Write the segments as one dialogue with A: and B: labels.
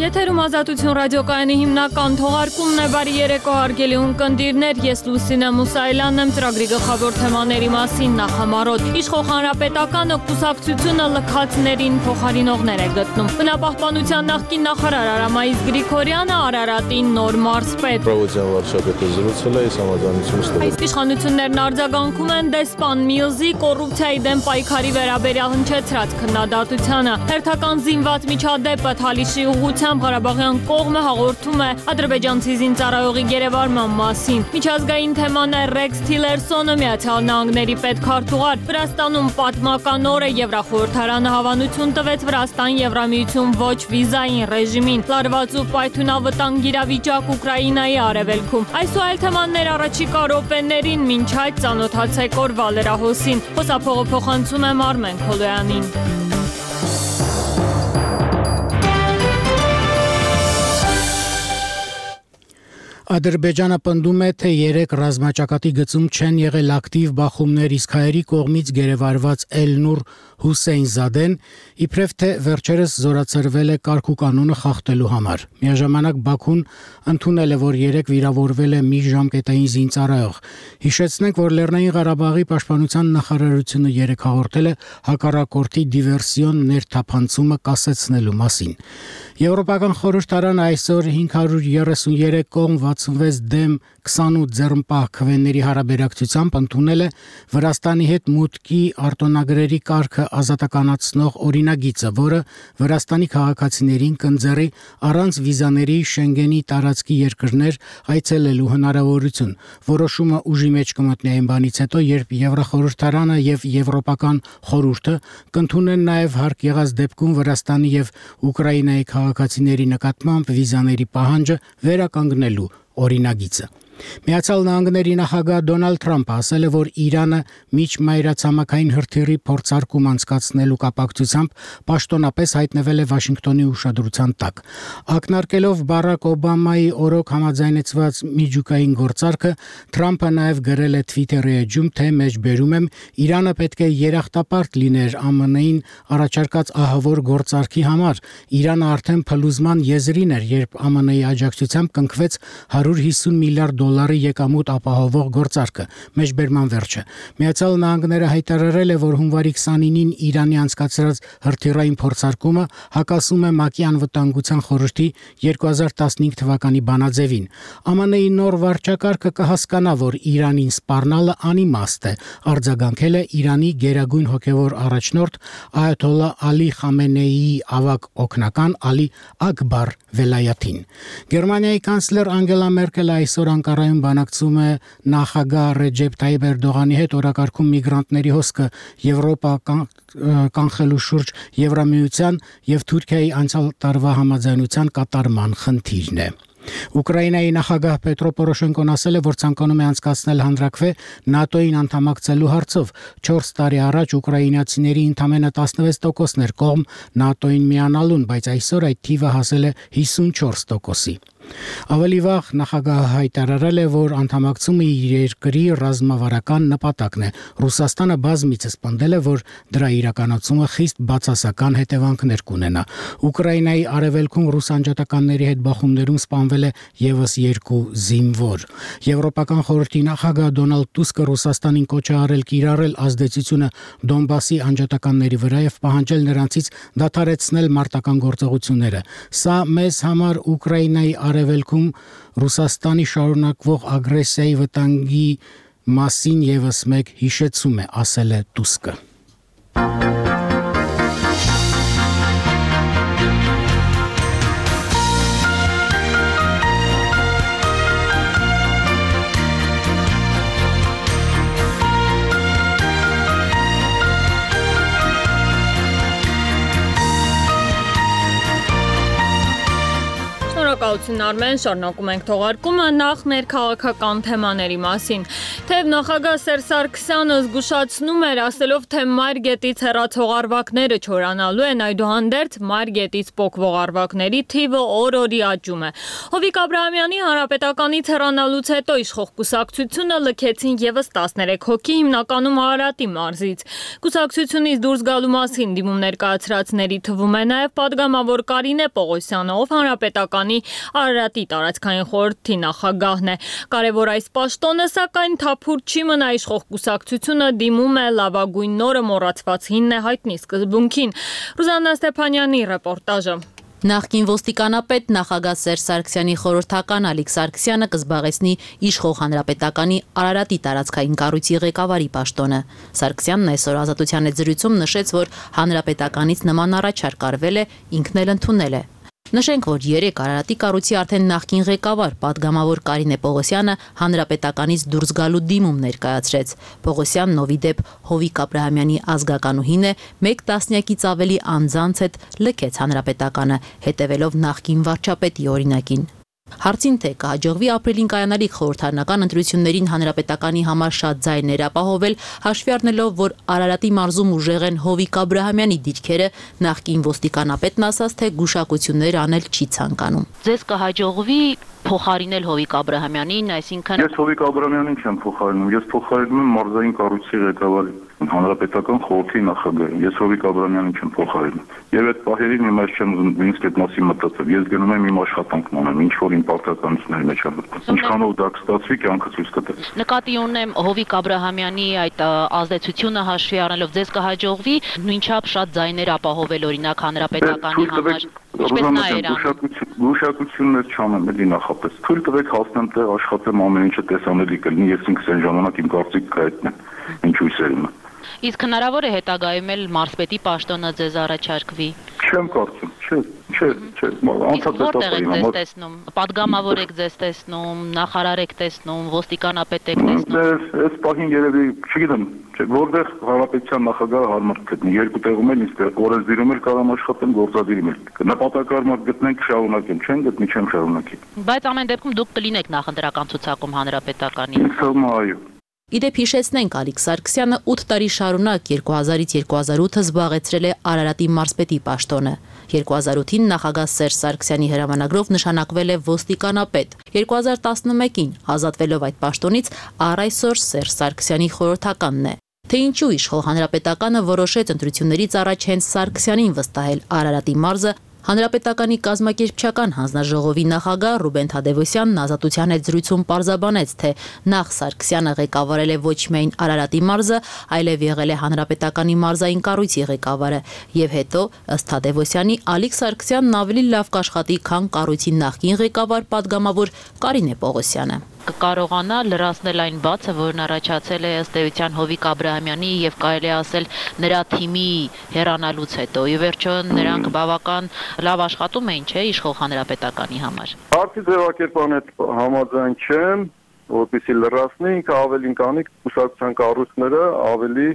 A: Եթերում Ազատություն ռադիոկայանի հիմնական թողարկումն է, բարի երեկո հարգելի ունկնդիրներ, ես Լուսինե Մուսայելյանն եմ, ծրագրի գլխավոր թեմաների մասին նախամարոտ։ Իշխող հանրապետականը կուսակցությունը լքածներին փոխարինողներ է գտնում։ Բնապահպանության նախկին նախարար Արամայիս Գրիգորյանը Արարատին նոր մարզպետ։
B: Պրովոցիան վարչապետը զրուցել է, համաձայնություն ստվել։
A: Այս իշխանություններն արձագանքում են դեսպան Միլզի կոռուպցիայի դեմ պայքարի վերաբերյալ հնչեցրած քննադատությանը։ Հերթական զինված միջադեպը Թալիշի ուղղությամբ Ղարաբաղյան կողմը հաղորդում է ադրբեջանցի զինծառայողի գերեվարման մասին։ Միջազգային թեման է Ռեքս Թիլերսոնը Միացյալ Նահանգների պետքարտուղար։ Վրաստանում պատմական օր է, Եվրախորհրդարանը հավանություն տվեց Վրաստան-Եվրամիություն ոչ վիզային ռեժիմին։ Լարված ու պայթյունավտանգ իրավիճակ Ուկրաինայի արևելքում։ Այս ու այլ թեմաներ առաջիկա րոպեներին, մինչ այդ ծանոթացեք օրվա լրահոսին։ Խոսափողը փոխանցում եմ Արմեն Քոլոյանին։
C: Ադրբեջանը պնդում է, թե 3 ռազմաճակատի գծում չեն եղել ակտիվ բախումներ, իսկ հայերի կողմից գերեվարված Էլնուր Հուսեյնզադեն իբրև թե վերջերս զորացրվել է կարգ ու կանոնը խախտելու համար։ Միաժամանակ Բաքուն ընդունել է, որ 3 վիրավորվել է մի ժամկետային զինծառայող։ Հիշեցնենք, որ Լեռնային Ղարաբաղի պաշտպանության նախարարությունը 3 հաղորդել է հակառակորդի դիվերսիոն ներթափանցումը կասեցնելու մասին։ Եվրոպական խորհրդարանը այսօր 533 կողմ 66 դեմ 28 ձեռնպահ քվեների հարաբերակցությամբ ընդունել է Վրաստանի հետ մուտքի արտոնագրերի կարգը ազատականացնող օրինագիծը, որը Վրաստանի քաղաքացիներին կընձեռի առանց վիզաների Շենգենի տարածքի երկրներ այցելելու հնարավորություն։ Որոշումը ուժի մեջ կմտնի այն բանից հետո, երբ Եվրախորհրդարանը եւ Եվրոպական խորհուրդը կընդունեն նաեւ հարկ եղած դեպքում Վրաստանի եւ Ուկրաինայի քաղաքացիների նկատմամբ վիզաների պահանջը վերականգնելու օրինագիծը։ Միացյալ Նահանգների նախագահ Դոնալդ Թրամփը ասել է, որ Իրանը միջմայրացամաքային հրթիռի փորձարկում անցկացնելու կապակցությամբ պաշտոնապես հայտնվել է Վաշինգտոնի ուշադրության տակ։ Ակնարկելով Բարակ Օբամայի օրոք համաձայնեցված միջուկային գործարքը, Թրամփը նաև գրել է Twitter-ի էջում, թե մեջբերում եմ, Իրանը պետք է երախտապարտ լիներ ԱՄՆ-ին առաջարկած ահավոր գործարքի համար։ Իրանը արդեն փլուզման եզրին էր, երբ ԱՄՆ-ի աջակցությամբ կնքվեց $150 միլիարդ եկամուտ ապահովող գործարքը։ Մեջբերման վերջը։ Միացյալ Նահանգները հայտարարել է, որ հունվարի 29-ին Իրանի անցկացրած հրթիռային փորձարկումը հակասում է ՄԱԿ-ի անվտանգության խորհրդի 2015 թվականի բանաձևին։ ԱՄՆ-ի նոր վարչակարգը կհասկանա, որ Իրանին սպառնալը անիմաստ է, արձագանքել է Իրանի գերագույն հոգևոր առաջնորդ Այաթոլլա Ալի Խամենեիի ավագ օգնական Ալի Աքբար Վելայաթին։ Գերմանիայի կանցլեր Անգելա Մերկելը այսօր Անկարայում բանակցում է նախագահ Ռեջեփ Թայիպ Էրդողանի հետ օրակարգում միգրանտների հոսքը Եվրոպա կանխելու շուրջ Եվրամիության եւ Թուրքիայի անցյալ տարվա համաձայնության կատարման խնդիրն է։ Ուկրաինայի նախագահ Պետրո Պորոշենկոն ասել է, որ ցանկանում է անցկացնել հանրաքվե ՆԱՏՕ-ին անդամակցելու հարցով։ 4 տարի առաջ ուկրաինացիների ընդամենը 16%-ն էր կողմ ՆԱՏՕ-ին միանալուն, բայց այսօր այդ թիվը հասել է 54%-ի։ Ավելի վաղ նախագահը հայտարարել է, որ անդամակցումը իր երկրի ռազմավարական նպատակն է։ Ռուսաստանը բազմիցս պնդել է, որ դրա իրականացումը խիստ բացասական հետևանքներ կունենա։ Ուկրաինայի արևելքում ռուս անջատականների հետ բախումներում սպանվել է եւս 2 զինվոր։ Եվրոպական խորհրդի նախագահ Դոնալդ Տուսկը Ռուսաստանին կոչ է արել կիրառել ազդեցությունը Դոնբասի անջատականների վրա եւ պահանջել նրանցից դադարեցնել մարտական գործողությունները։ Սա մեզ համար Ուկրաինայի արևելքում Ռուսաստանի շարունակվող ագրեսիայի վտանգի մասին եւս մեկ հիշեցում է, ասել է Տուսկը։
A: Շնորհակալություն Արմեն, շարունակում ենք թողարկումը նախ ներքաղաքական թեմաների մասին։ Թեև նախագահ Սերժ Սարգսյանը զգուշացնում էր, ասելով, թե Մայրգետից հեռացող առվակները չորանալու են, այդուհանդերձ Մայրգետից պոկվող առվակների թիվը օր-օրի աճում է։ Հովիկ Աբրահամյանի հանրապետականից հեռանալուց հետո իշխող կուսակցությունը լքեցին եւս 13 հոգի, հիմնականում Արարատի մարզից։ Կուսակցությունից դուրս գալու մասին դիմում ներկայացրածների թվում է նաեւ պատգամավոր Կարինե Պողոսյանը, ով հանրապետականի Արարատի տարածքային խորհրդի նախագահն է։ Կարևոր այս պաշտոնը, սակայն թափուր չի մնա, իշխող կուսակցությունը դիմում է լավագույն նորը մոռացված հինն է հայտնի սկզբունքին։ Ռուզաննա Ստեփանյանի ռեպորտաժը։
D: Նախկին ոստիկանապետ նախագահ Սերժ Սարգսյանի խորհրդական Ալիկ Սարգսյանը կզբաղեցնի իշխող հանրապետականի Արարատի տարածքային կառույցի ղեկավարի պաշտոնը։ Սարգսյանն այսօր Ազատության հետ զրույցում նշեց, որ հանրապետականից նման առաջարկ արվել է, ինքն էլ ընդունել է։ Նշենք, որ 3 Արարատի կառույցի արդեն նախկին ղեկավար պատգամավոր Կարինե Պողոսյանը հանրապետականից դուրս գալու դիմում ներկայացրեց։ Պողոսյանն ովի դեպ Հովիկ Աբրահամյանի ազգականուհին է, 1 տասնյակից ավելի անձանց հետ լքեց հանրապետականը, հետևելով նախկին վարչապետի օրինակին։ Հարցին թե կհաջողվի ապրիլին կայանալիք խորհրդարանական ընտրություններին հանրապետականի համար շատ ձայներ ապահովել, հաշվի առնելով, որ Արարատի մարզում ուժեղ են Հովիկ Աբրահամյանի դիրքերը, նախկին ոստիկանապետն ասաց, թե գուշակություններ անել չի ցանկանում։ Ձեզ կհաջողվի փոխարինել Հովիկ Աբրահամյանին, այսինքն
E: Ես Հովիկ Աբրահամյանին չեմ փոխարինում, ես փոխարինում եմ մարզային կառույցի ղեկավարին, հանրապետական խորհրդի նախագահին։ Ես Հովիկ Աբրահամյանին չեմ փոխարինում։ Եվ այդ պահերին հիմա ես չեմ ուզում նույնիսկ այդ մասին մտածել։ Ես գնում եմ իմ աշխատանքն անեմ, ինչ որ իմ պարտականությունների մեջ եմ մտնում։ Ինչքանով դա կստացվի, կյանքը ցույց կտա։
D: Նկատի ունեմ Հովիկ Աբրահամյանի այդ ազդեցությունը հաշվի առնելով ձեզ կհաջողվի նույնչափ շատ ձայներ ապահովել օրինակ հանրապետականի համար։ Ինչպես նա էր
E: գուշակություններ չանեմ, էլի նախապես։ Թույլ տվեք հասնեմ տեղ, աշխատեմ, ամեն ինչը տեսանելի կլինի, ես ինքս այն ժամանակ իմ կարծիքը կհայտնեմ, ինչ հույսերում է։
D: Իսկ հնարավոր է հետագայում էլ մարզպետի պաշտոնը ձեզ առաջարկվի։
E: Չեմ կարծում, չէ, անցած
D: որտեղ եք ձեզ տեսնում, պատգամավոր եք ձեզ տեսնում, նախարար եք տեսնում, ոստիկանապետ եք տեսնում։
E: Այս պահին երևի, չգիտեմ, որտեղ հանրապետության նախագահը հարմար կգտնի, երկու տեղում էլ ինձ օրենսդիրում էլ կարամ աշխատեմ, գործադիրում էլ։ Նպատակարար գտնենք, շարունակեմ, չեն գտնի, չեմ շարունակի։
D: Բայց ամեն դեպքում դուք կլինեք նախընտրական ցուցակում հանրապետականի։
E: Ինձ թվում է, այո։
D: Իդեպ հիշեցնենք, Ալիկ Սարգսյանը 8 տարի շարունակ 2000-ից 2008 զբաղեցրել է Արարատի մարզպետի պաշտոնը։ 2008-ին նախագահ Սերժ Սարգսյանի հրամանագրով նշանակվել է ոստիկանապետ։ 2011-ին ազատվելով այդ պաշտոնից առ այսօր Սերժ Սարգսյանի խորհրդականն է։ Թե ինչու իշխող հանրապետականը որոշեց ընտրություններից առաջ հենց Սարգսյանին վստահել Արարատի մարզը, Հանրապետականի կազմակերպչական հանձնաժողովի նախագահ Ռուբեն Թադևոսյանն Ազատության հետ զրույցում պարզաբանեց, թե նախ Սարգսյանը ղեկավարել է ոչ միայն Արարատի մարզը, այլև եղել է հանրապետականի մարզային կառույցի ղեկավարը, եւ հետո, ըստ Թադևոսյանի, Ալիկ Սարգսյանն ավելի լավ կաշխատի, քան կառույցի նախկին ղեկավար պատգամավոր Կարինե Պողոսյանը։ Կկարողանա լրացնել այն բացը, որն առաջացել է ըստ էության Հովիկ Աբրահամյանի եւ կարելի ասել նրա թիմի հեռանալուց հետո։ Ի վերջո նրանք բավական լավ աշխատում էին, չէ՞, իշխող հանրապետականի համար։
E: Հարցի ձևակերպան հետ համաձայն չեմ, որպեսզի լրացնի, ինքը ավելին կանի կուսակցության կառույցները ավելի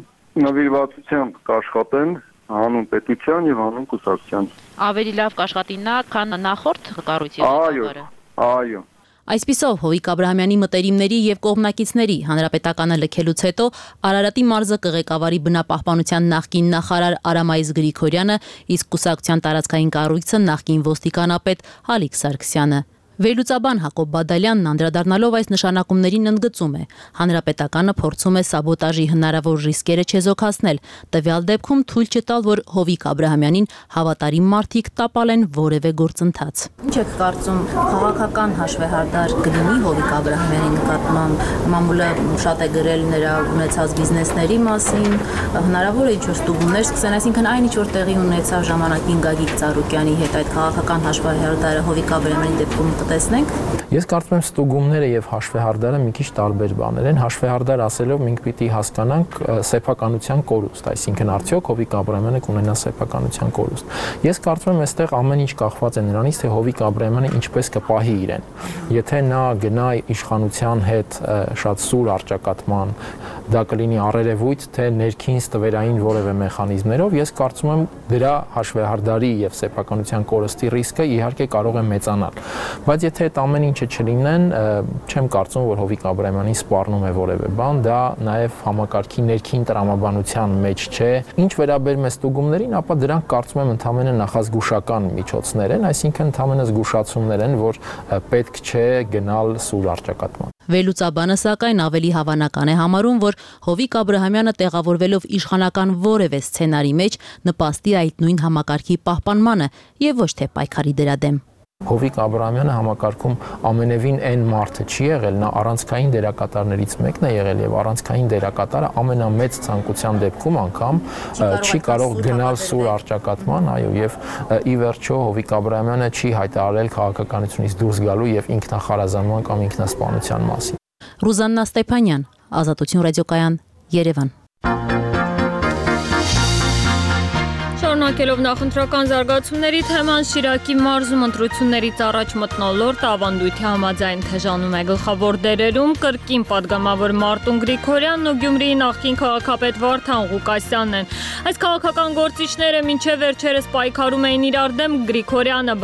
E: նվիրվածությամբ կաշխատեն հանուն պետության եւ հանուն կուսակցության։
D: Ավելի լավ կաշխատի նա, քան նախորդ կառույցի ղեկավարը։
E: Այո։
D: Այսպիսով Հովիկ Աբրահամյանի մտերիմների եւ կողմնակիցների հանրապետականը լքելուց հետո Արարատի մարզը կղեկավարի բնապահպանության նախկին նախարար Արամայիս Գրիգորյանը, իսկ կուսակցության տարածքային կառույցը նախկին ոստիկանապետ Ալիկ Սարգսյանը։ Վերլուծաբան Հակոբ Բադալյանն անդրադառնալով այս նշանակումներին ընդգծում է. հանրապետականը փորձում է սաբոտաժի հնարավոր ռիսկերը չեզոքացնել, տվյալ դեպքում թույլ չտալ, որ Հովիկ Աբրահամյանին հավատարիմ մարդիկ տապալեն որևէ գործընթաց։ Ինչ եք կարծում, քաղաքական հաշվեհարդար կլինի Հովիկ Աբրահամյանի նկատմամբ, մամուլը շատ է գրել նրա ունեցած բիզնեսների մասին, հնարավոր է ինչ-որ ստուգումներ սկսեն, այսինքն այն ինչ որ տեղի ունեցավ ժամանակին Գագիկ Ծառուկյանի հետ այդ քաղաքական հաշվեհարդարը Հովիկ Աբրահամյանի դեպքում տեսնենք։
F: Ես կարծում եմ ստուգումները եւ հաշվեհարդարը մի քիչ տարբեր բաներ են։ Հաշվեհարդար ասելով մենք պիտի հասկանանք սեփականության կորուստ, այսինքն արդյոք Հովիկ Աբրահամյանը կունենա սեփականության կորուստ։ Ես կարծում եմ այստեղ ամեն ինչ կախված է նրանից, թե Հովիկ Աբրահամյանը ինչպես կպահի իրեն։ Եթե նա գնա իշխանության հետ շատ սուր առճակատման, դա կլինի առերևույթ, թե ներքին ստվերային որևէ մեխանիզմներով, ես կարծում եմ դրա հաշվեհարդարի եւ սեփականության կորստի ռիսկը իհարկե կարող է մեծանալ։ Բայց եթե այդ ամեն ինչը չլինեն, չեմ կարծում, որ Հովիկ Աբրահամյանին սպառնում է որևէ բան, դա նաեւ համակարգի ներքին տրամաբանության մեջ չէ։ Ինչ վերաբերում է ստուգումներին, ապա դրանք կարծում եմ ընդհանրապես նախազգուշական միջոցներ են, այսինքն ընդհանրապես զգուշացումներ են, որ պետք չէ գնալ սուր առճակատման։
D: Վերլուծաբանը սակայն ավելի հավանական է համարում, որ Հովիկ Աբրահամյանը տեղավորվելով իշխանական որևէ սցենարի մեջ նպաստի այդ նույն համակարգի պահպանմանը եւ ոչ թե պայքարի դրա դեմ։
F: Հովիկ Աբրահամյանը համակարգում ամենևին այն մարդը չի եղել, նա առանցքային դերակատարներից մեկն է եղել եւ առանցքային դերակատարը ամենամեծ ցանկության դեպքում անգամ չի կարող գնալ սուր առճակատման, այո, եւ ի վերջո Հովիկ Աբրահամյանը չի հայտարարել քաղաքականությունից դուրս գալու եւ ինքնախարազանման կամ ինքնասպանության մասին։
D: Ռուզաննա Ստեփանյան, Ազատություն ռադիոկայան, Երևան։
A: Շարունակելով նախընտրական զարգացումների թեման, Շիրակի մարզում ընտրություններից առաջ մթնոլորտ ավանդույթի համաձայն թեժանում է գլխավոր դերերում կրկին падգամավոր Մարտուն Գրիգորյանն ու Գյումրիի նախկին քաղաքապետ Վարդան Ղուկասյանն են։ Այս քաղաքական գործիչները մինչև վերջերս պայքարում էին իրար դեմ, Գրիգորյանը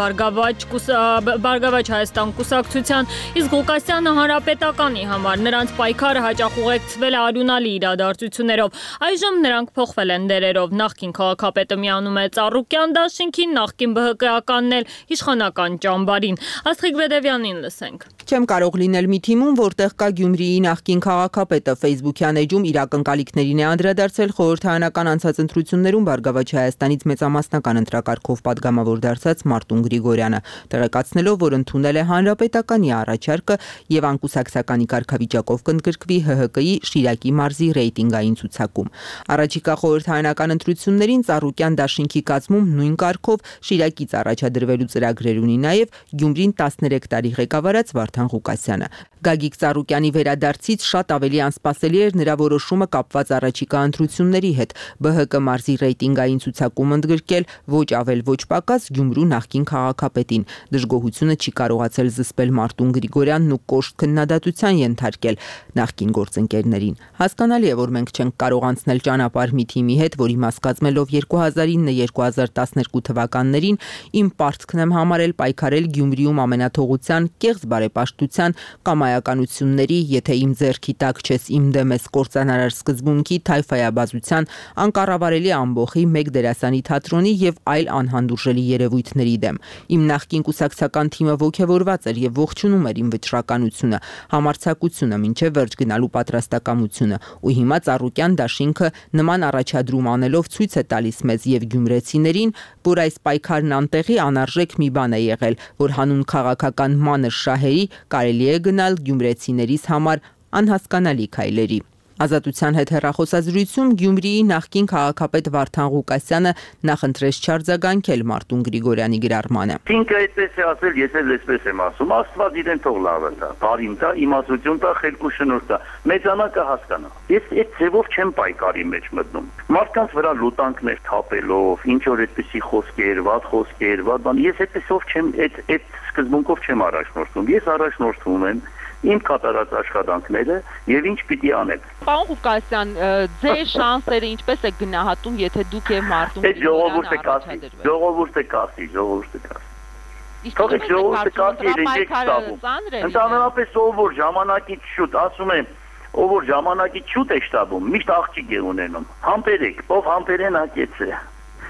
A: Բարգավաճ Հայաստան կուսակցության, իսկ Ղուկասյանը Հանրապետականի համար։ Նրանց պայքարը հաճախ ուղեկցվել է արյունալի իրադարձություններով։ Այժմ նրանք փոխվել են դերերով։ Նախկին քաղաքապետը միանում է Ծառուկյան դաշինքին, նախկին ԲՀԿ-ականն էլ իշխանական ճամբարին։ Աստղիկ Բեդևյանին լսենք։
G: Չեմ կարող լինել մի թիմում, որտեղ կա Գյումրիի նախկին քաղաքապետը, Facebook-յան էջում իր ակնկալիքներին է անդրադարձել խորհրդարանական անցած ընտրություններում Բարգավաճ Հայաստանից մեծամասնական ընտրակարգով падգամավոր դարձած Մարտուն Գրիգորյանը, տեղեկացնելով, որ ընդունել է Հանրապետականի առաջարկը եւ անկուսակցականի կարգավիճակով կընդգրկվի ՀՀԿ-ի Շիրակի մարզի ռեյտինգային ցուցակում։ Առաջիկա խորհրդարանական ընտրություններին Ծառուկյան դաշինքի կազմում նույն կարգով Շիրակից առաջադրվելու ծրագրեր ունի նաեւ Գյումրին 13 տարի ղեկավարած Վարդան Ղուկասյանը։ Գագիկ Ծառուկյանի վերադարձից շատ ավելի անսպասելի էր նրա որոշումը կապված առաջիկա ընտրությունների հետ ԲՀԿ մարզի ռեյտինգային ցուցակում ընդգրկել ոչ ավել ոչ պակաս Գյումրու նախկին քաղաքապետին։ Դժգոհությունը չի կարողացել զսպել Մարտուն Գրիգորյանն ու կոշտ քննադատության ենթարկել նախկին գործընկերներին։ Հասկանալի է, որ մենք չենք կարող անցնել ճանապարհ մի թիմի հետ, որի մաս կազմելով 2009-2012 թվականներին իմ պարտքն եմ համարել պայքարել Գյումրիում ամենաթողության, կեղծ բարեպաշտության, կամայականությունների, եթե իմ ձեռքի տակ չես իմ դեմ ես կործանարար սկզբունքի, թայֆայաբազության, անկառավարելի ամբոխի, մեկ դերասանի թատրոնի եւ այլ անհանդուրժելի երևույթների դեմ։ Իմ նախկին կուսակցական թիմը ողջավորված էր եւ ողջունում էր իմ վճռականությունը, համարձակությունը, մինչեւ վերջ գնալու պատրաստակամությունը, ու հիմա Ծառուկյան դաշինքը նման առաջադրում անելով ցույց է տալիս մեզ եւ գյումրեցիներին, որ այս պայքարն անտեղի անարժեք մի բան է եղել, որ հանուն քաղաքական մանր շահերի կարելի է գնալ գյումրեցիներիս համար անհասկանալի քայլերի։ Ազատության հետ հեռախոսազրույցում Գյումրիի նախկին քաղաքապետ Վարդան Ղուկասյանը նախընտրեց չարձագանքել Մարտուն Գրիգորյանի գրառմանը։
E: Ինքը այդպես է ասել, ես էլ այսպես եմ ասում, Աստված իրեն թող լավը տա, բարին տա, իմացություն տա, խելք ու շնորհ տա, մեծանակը հասկանա։ Ես այդ ձևով չեմ պայքարի մեջ մտնում։ Մարդկանց վրա լուտանքներ թափելով, ինչ որ այդպիսի խոսքեր, վատ խոսքեր, վատ բան, ես այդպեսով չեմ, այդ սկզբունքով չեմ առաջնորդվում։ Ես առաջնորդվում եմ իմ կատարած աշխատանքները եւ ինչ պիտի անեմ։
H: Պարոն Ղուկասյան, ձեր շանսերը ինչպես է գնահատում, եթե դուք եւ Մարտուն
E: ժողովուրդը կասի։ Թող ժողովուրդը կասի, իրենք ստաբում։ Ընդհանրապես ով որ ժամանակից շուտ, ասում եմ, ով որ ժամանակից շուտ է շտաբում, միշտ աղջիկ է ունենում։ Համբերեք, ով համբերեն ակեց է։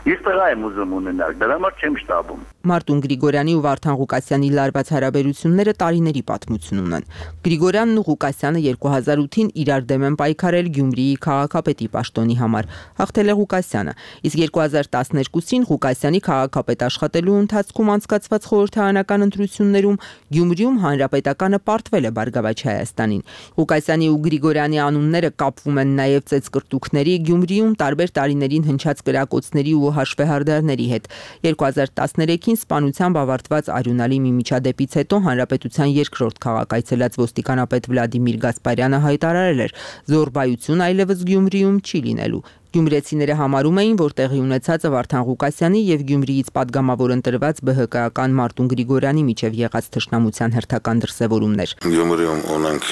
E: Ես տղա եմ ուզում ունենալ, դրա համար չեմ շտաբում։
G: Մարտուն Գրիգորյանի ու Վարդան Ղուկասյանի լարված հարաբերությունները տարիների պատմություն ունեն։ Գրիգորյանն ու Ղուկասյանը 2008-ին իրար դեմ են պայքարել Գյումրիի քաղաքապետի պաշտոնի համար։ Հաղթել է Ղուկասյանը, իսկ 2012-ին Ղուկասյանի քաղաքապետ աշխատելու ընթացքում անցկացված խորհրդարանական ընտրություններում Գյումրիում Հանրապետականը պարտվել է Բարգավաճ Հայաստանին։ Ղուկասյանի ու Գրիգորյանի անունները կապվում են նաև ծեծկրտուքների, Գյումրիում տարբեր տարիներին հնչած կրակոցների ու հաշվեհարդարների հետ։ 2013-ին սպանությամբ ավարտված արյունալի մի միջադեպից հետո հանրապետության երկրորդ քաղաք այցելած ոստիկանապետ Վլադիմիր Գասպարյանը հայտարարել էր՝ զոռբայություն այլևս Գյումրիում չի լինելու։ Գյումրեցիները համարում էին, որ տեղի ունեցածը Վարդան Ղուկասյանի եւ Գյումրիից падգամավոր ընտրված ԲՀԿ-ական Մարտուն Գրիգորյանի միջև եղած թշնամության հերթական դրսևորումներ։
I: Գյումրիում ունենք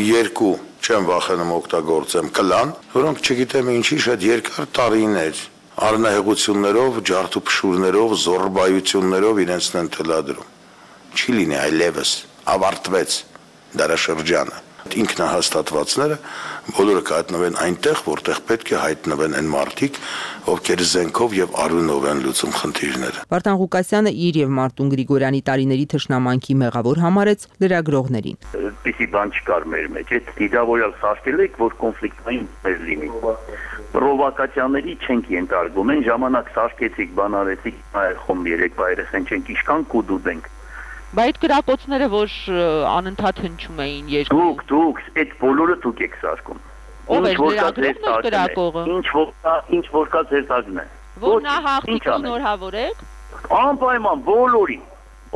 I: երկու, չեմ վախենում օգտագործեմ, կլան, որոնք չգիտեմ ինչի շատ երկար տարիներ առնահեղություններով, ջարդուփշուրներով, զոռբայություններով իրենցն են թելադրում։ Չի լինի այլևս, ավարտվեց դարաշրջանը։ Ինքնահաստատվածները բոլորը կհայտնվեն այնտեղ, որտեղ պետք է հայտնվեն այն մարդիկ, ովքեր զենքով եւ արյունով են լուծում խնդիրները։
G: Վարդան Ղուկասյանը իր եւ Մարտուն Գրիգորյանի տարիների թշնամանքի մեղավոր համարեց լրագրողներին։
J: Այդպիսի բան չկար մեր մեջ, այդ դիդավորյալ սարքել եք, որ կոնֆլիկտային մեր լինի։ Պրովոկացիաների չենք ենթարկվում, այն ժամանակ սարքեցիք, բան արեցիք, խոմ երեք բայրես են չենք իշքան կուդուդենք։
H: Բայց այդ գրակոծները, որ անընդհատ հնչում էին երկու։
J: Դուք, այդ բոլորը դուք եք սարքում։
H: Ով է գրակողը։
J: Ինչ որ կա ձեր տակն է։
H: Որ նա հաղթի շնորհավոր եք։
J: Անպայման բոլորին։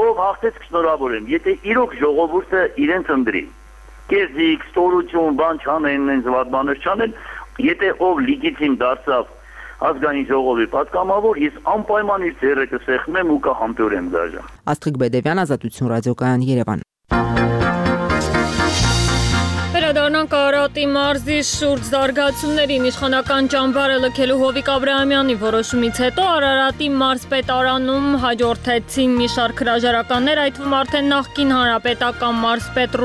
J: Ով հաղթեց շնորհավոր եմ։ Եթե իրոք ժողովուրդը իրենց ընտրի, կեզիկ, ստորություն, բան չանեն, այնց վատ բաներ չանեն, եթե ով լիգիտիմ դարձավ ազգային ժողովի պատգամավոր, ես անպայման իր ձեռը կսեղմեմ ու կհամբերեմ դաժան։
G: Աստղիկ Բեդևյան, Ազատություն ռադիոկայան, Երևան։
A: Վերադառնանք Արարատի մարզի շուրջ զարգացումներին։ Իշխանական ճամբարը լքելու Հովիկ Աբրահամյանի որոշումից հետո Արարատի մարզպետարանում հաջորդեցին մի շարք հրաժարականներ, այդ թվում արդեն նախկին հանրապետական մարզպետ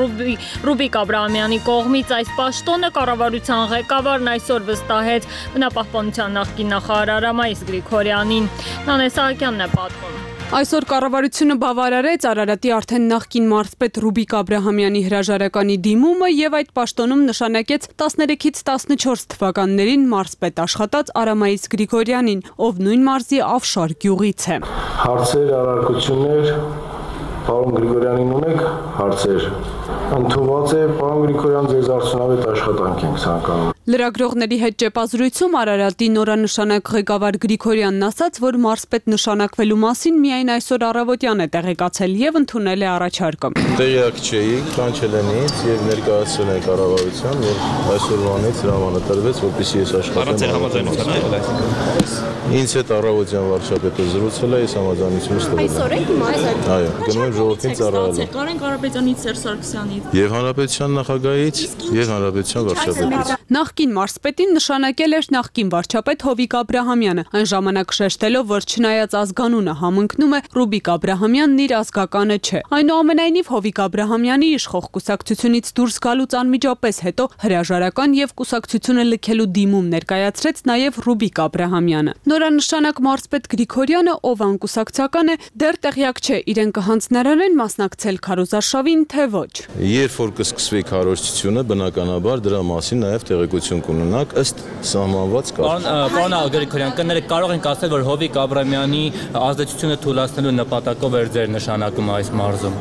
A: Ռուբիկ Աբրահամյանի կողմից այս պաշտոնը կառավարության ղեկավարն այսօր վստահեց բնապահպանության նախկին նախարար Արամայիս Գրիգորյանին։ Նանե Սահակյանն է պատմում։
K: Այսօր կառավարությունը բավարարեց Արարատի արդեն նախկին մարզպետ Ռուբիկ Աբրահամյանի հրաժարականի դիմումը եւ այդ պաշտոնում նշանակեց 13-ից 14 թվականներին մարզպետ աշխատած Արամայիս Գրիգորյանին, ով նույն մարզի Ավշար գյուղից է։
L: Հարցեր, առարկություններ, պարոն Գրիգորյանին ունեք հարցեր։ Ընդունված է, պարոն Գրիգորյան, ձեզ արդյունավետ աշխատանք ենք ցանկանում։
K: Լրագրողների հետ ճեպազրույցում Արարատի նորանշանակ ղեկավար Գրիգորյանն ասաց, որ մարզպետ նշանակվելու մասին միայն այսօր առավոտյան է տեղեկացել եւ ընդունել է առաջարկը։
B: Տեղյակ չէի, կանչել են ինձ եւ ներկայացրել են կառավարության, որ այսօրվանից հրամանը տրվեց, որպեսզի ես աշխատեմ։ Ինձ հետ առավոտյան վարչապետը զրուցել է, ես համաձայնություն ստվել եմ։
K: Այսօր եք մարզպետ։
B: Այո, գնում եմ ժողովրդին ծառայելու։
K: Կարեն Կարապետյանից, Սերժ Սարգսյանից։
B: Եվ հանրապետության նախագահից, եւ հանրապետության վարչապետից։
K: Նախկին մարզպետին նշանակել էր նախկին վարչապետ Հովիկ Աբրահամյանը, այն ժամանակ շեշտելով, որ չնայած ազգանունը համընկնում է, Ռուբիկ Աբրահամյանն իր ազգականը չէ։ Այնուամենայնիվ Հովիկ Աբրահամյանի իշխող կուսակցությունից դուրս գալուց անմիջապես հետո հրաժարական եւ կուսակցությունը լքելու դիմում ներկայացրեց նաեւ Ռուբիկ Աբրահամյանը։ Նորանշանակ մարզպետ Գրիգորյանը, ով անկուսակցական է, դեռ տեղյակ չէ իրեն կհանձնարարեն մասնակցել քարոզարշավին, թե ոչ։
B: Երբ որ կսկսվի քարոզչությունը, բնականաբար դրա մասին նաեւ տեղեկություն կունենաք ըստ սահմանված կարգի։
M: Պարոն Գրիգորյան, կներեք, կարող ենք ասել, որ Հովիկ Աբրահամյանի ազդեցությունը թույլատնելու նպատակով էր ձեր նշանակումը այս մարզում։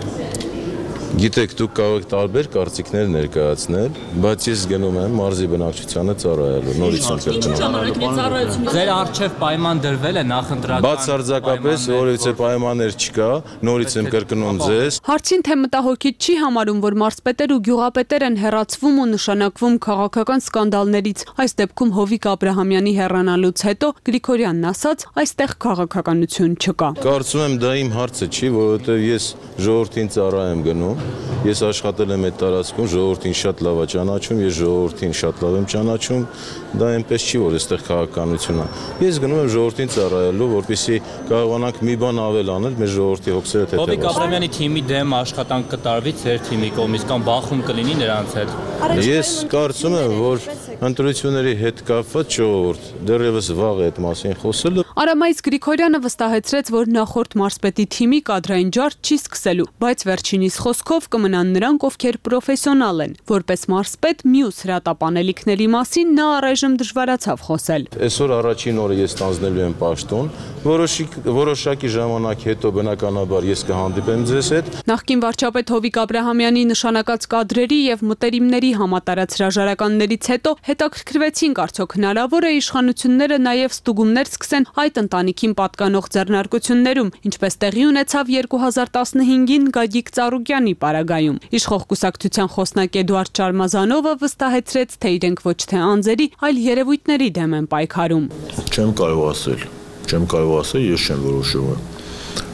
B: Գիտեք, դուք կարող եք տարբեր կարծիքներ ներկայացնել, բայց ես գնում եմ մարզի բնակչությանը ծառայելու, նորից կրկնում։
M: Ձեր առջև պայման դրվել է նախընտրական։
B: Բացարձակապես որևիցե պայմաններ չկա, նորից եմ կրկնում ձեզ։
K: Հարցին թե մտահոգիչ չի համարում, որ մարզպետեր ու գյուղապետեր են հեռացվում ու նշանակվում քաղաքական սկանդալներից։ Այս դեպքում Հովիկ Աբրահամյանի հեռանալուց հետո Գրիգորյանն ասաց, այստեղ քաղաքականություն չկա։
B: Կարծում եմ դա իմ հարցը չի, որովհետև ես ժողովրդին ծառայ եմ գնում։ Ես աշխատել եմ այդ տարածքում, ժողովրդին շատ լավ է ճանաչում, ես ժողովրդին շատ լավ եմ ճանաչում, դա այնպես չի, որ այստեղ քաղաքականություն է։ Ես գնում եմ ժողովրդին ծառայելու, որպեսզի կարողանանք մի բան ավել անել մեր ժողովրդի հոգսերը թեթևացնել։
M: Հովիկ Աբրահամյանի թիմի դեմ աշխատանք կտարվի ձեր թիմի կողմից կամ բախում կլինի նրանց հետ։
B: Ես կարծում եմ, որ ընտրությունների հետ կապված ժողովուրդ դեռևս վաղ է այդ մասին խոսելը։
K: Արամայիս Գրիգորյանը վստահեցրեց, որ նախորդ մարզպետի թիմի կադրային ջարդ չի սկսելու, բայց վերջինիս խոսքով կմնան նրանք, ովքեր պրոֆեսիոնալ են։ Որպես մարզպետ մյուս հրատապանելիքների մասին նա առայժմ դժվարացավ խոսել։
B: Այսօր առաջին օրը ես տանձնելու եմ պաշտոն, որոշակի ժամանակ հետո բնականաբար ես կհանդիպեմ ձեզ հետ։
K: Նախկին վարչապետ Հովիկ Աբրահամյանի նշանակած կադրերի եւ մտերիմների համատարած հրաժարականներից հետո հետաքրքրվեցինք, արդյոք հնարավոր է իշխանությունները նաեւ ստուգումներ սկսեն այդ ընտանիքին պատկանող ձեռնարկություններում, ինչպես տեղի ունեցավ 2015-ին Գագիկ Ծառուկյանի պարագայում։ Իշխող կուսակցության խոսնակ Էդուարդ Շարմազանովը վստահեցրեց, թե իրենք ոչ թե անձերի, այլ երևույթների դեմ են պայքարում։
L: Չեմ կարող ասել, ես չեմ որոշում։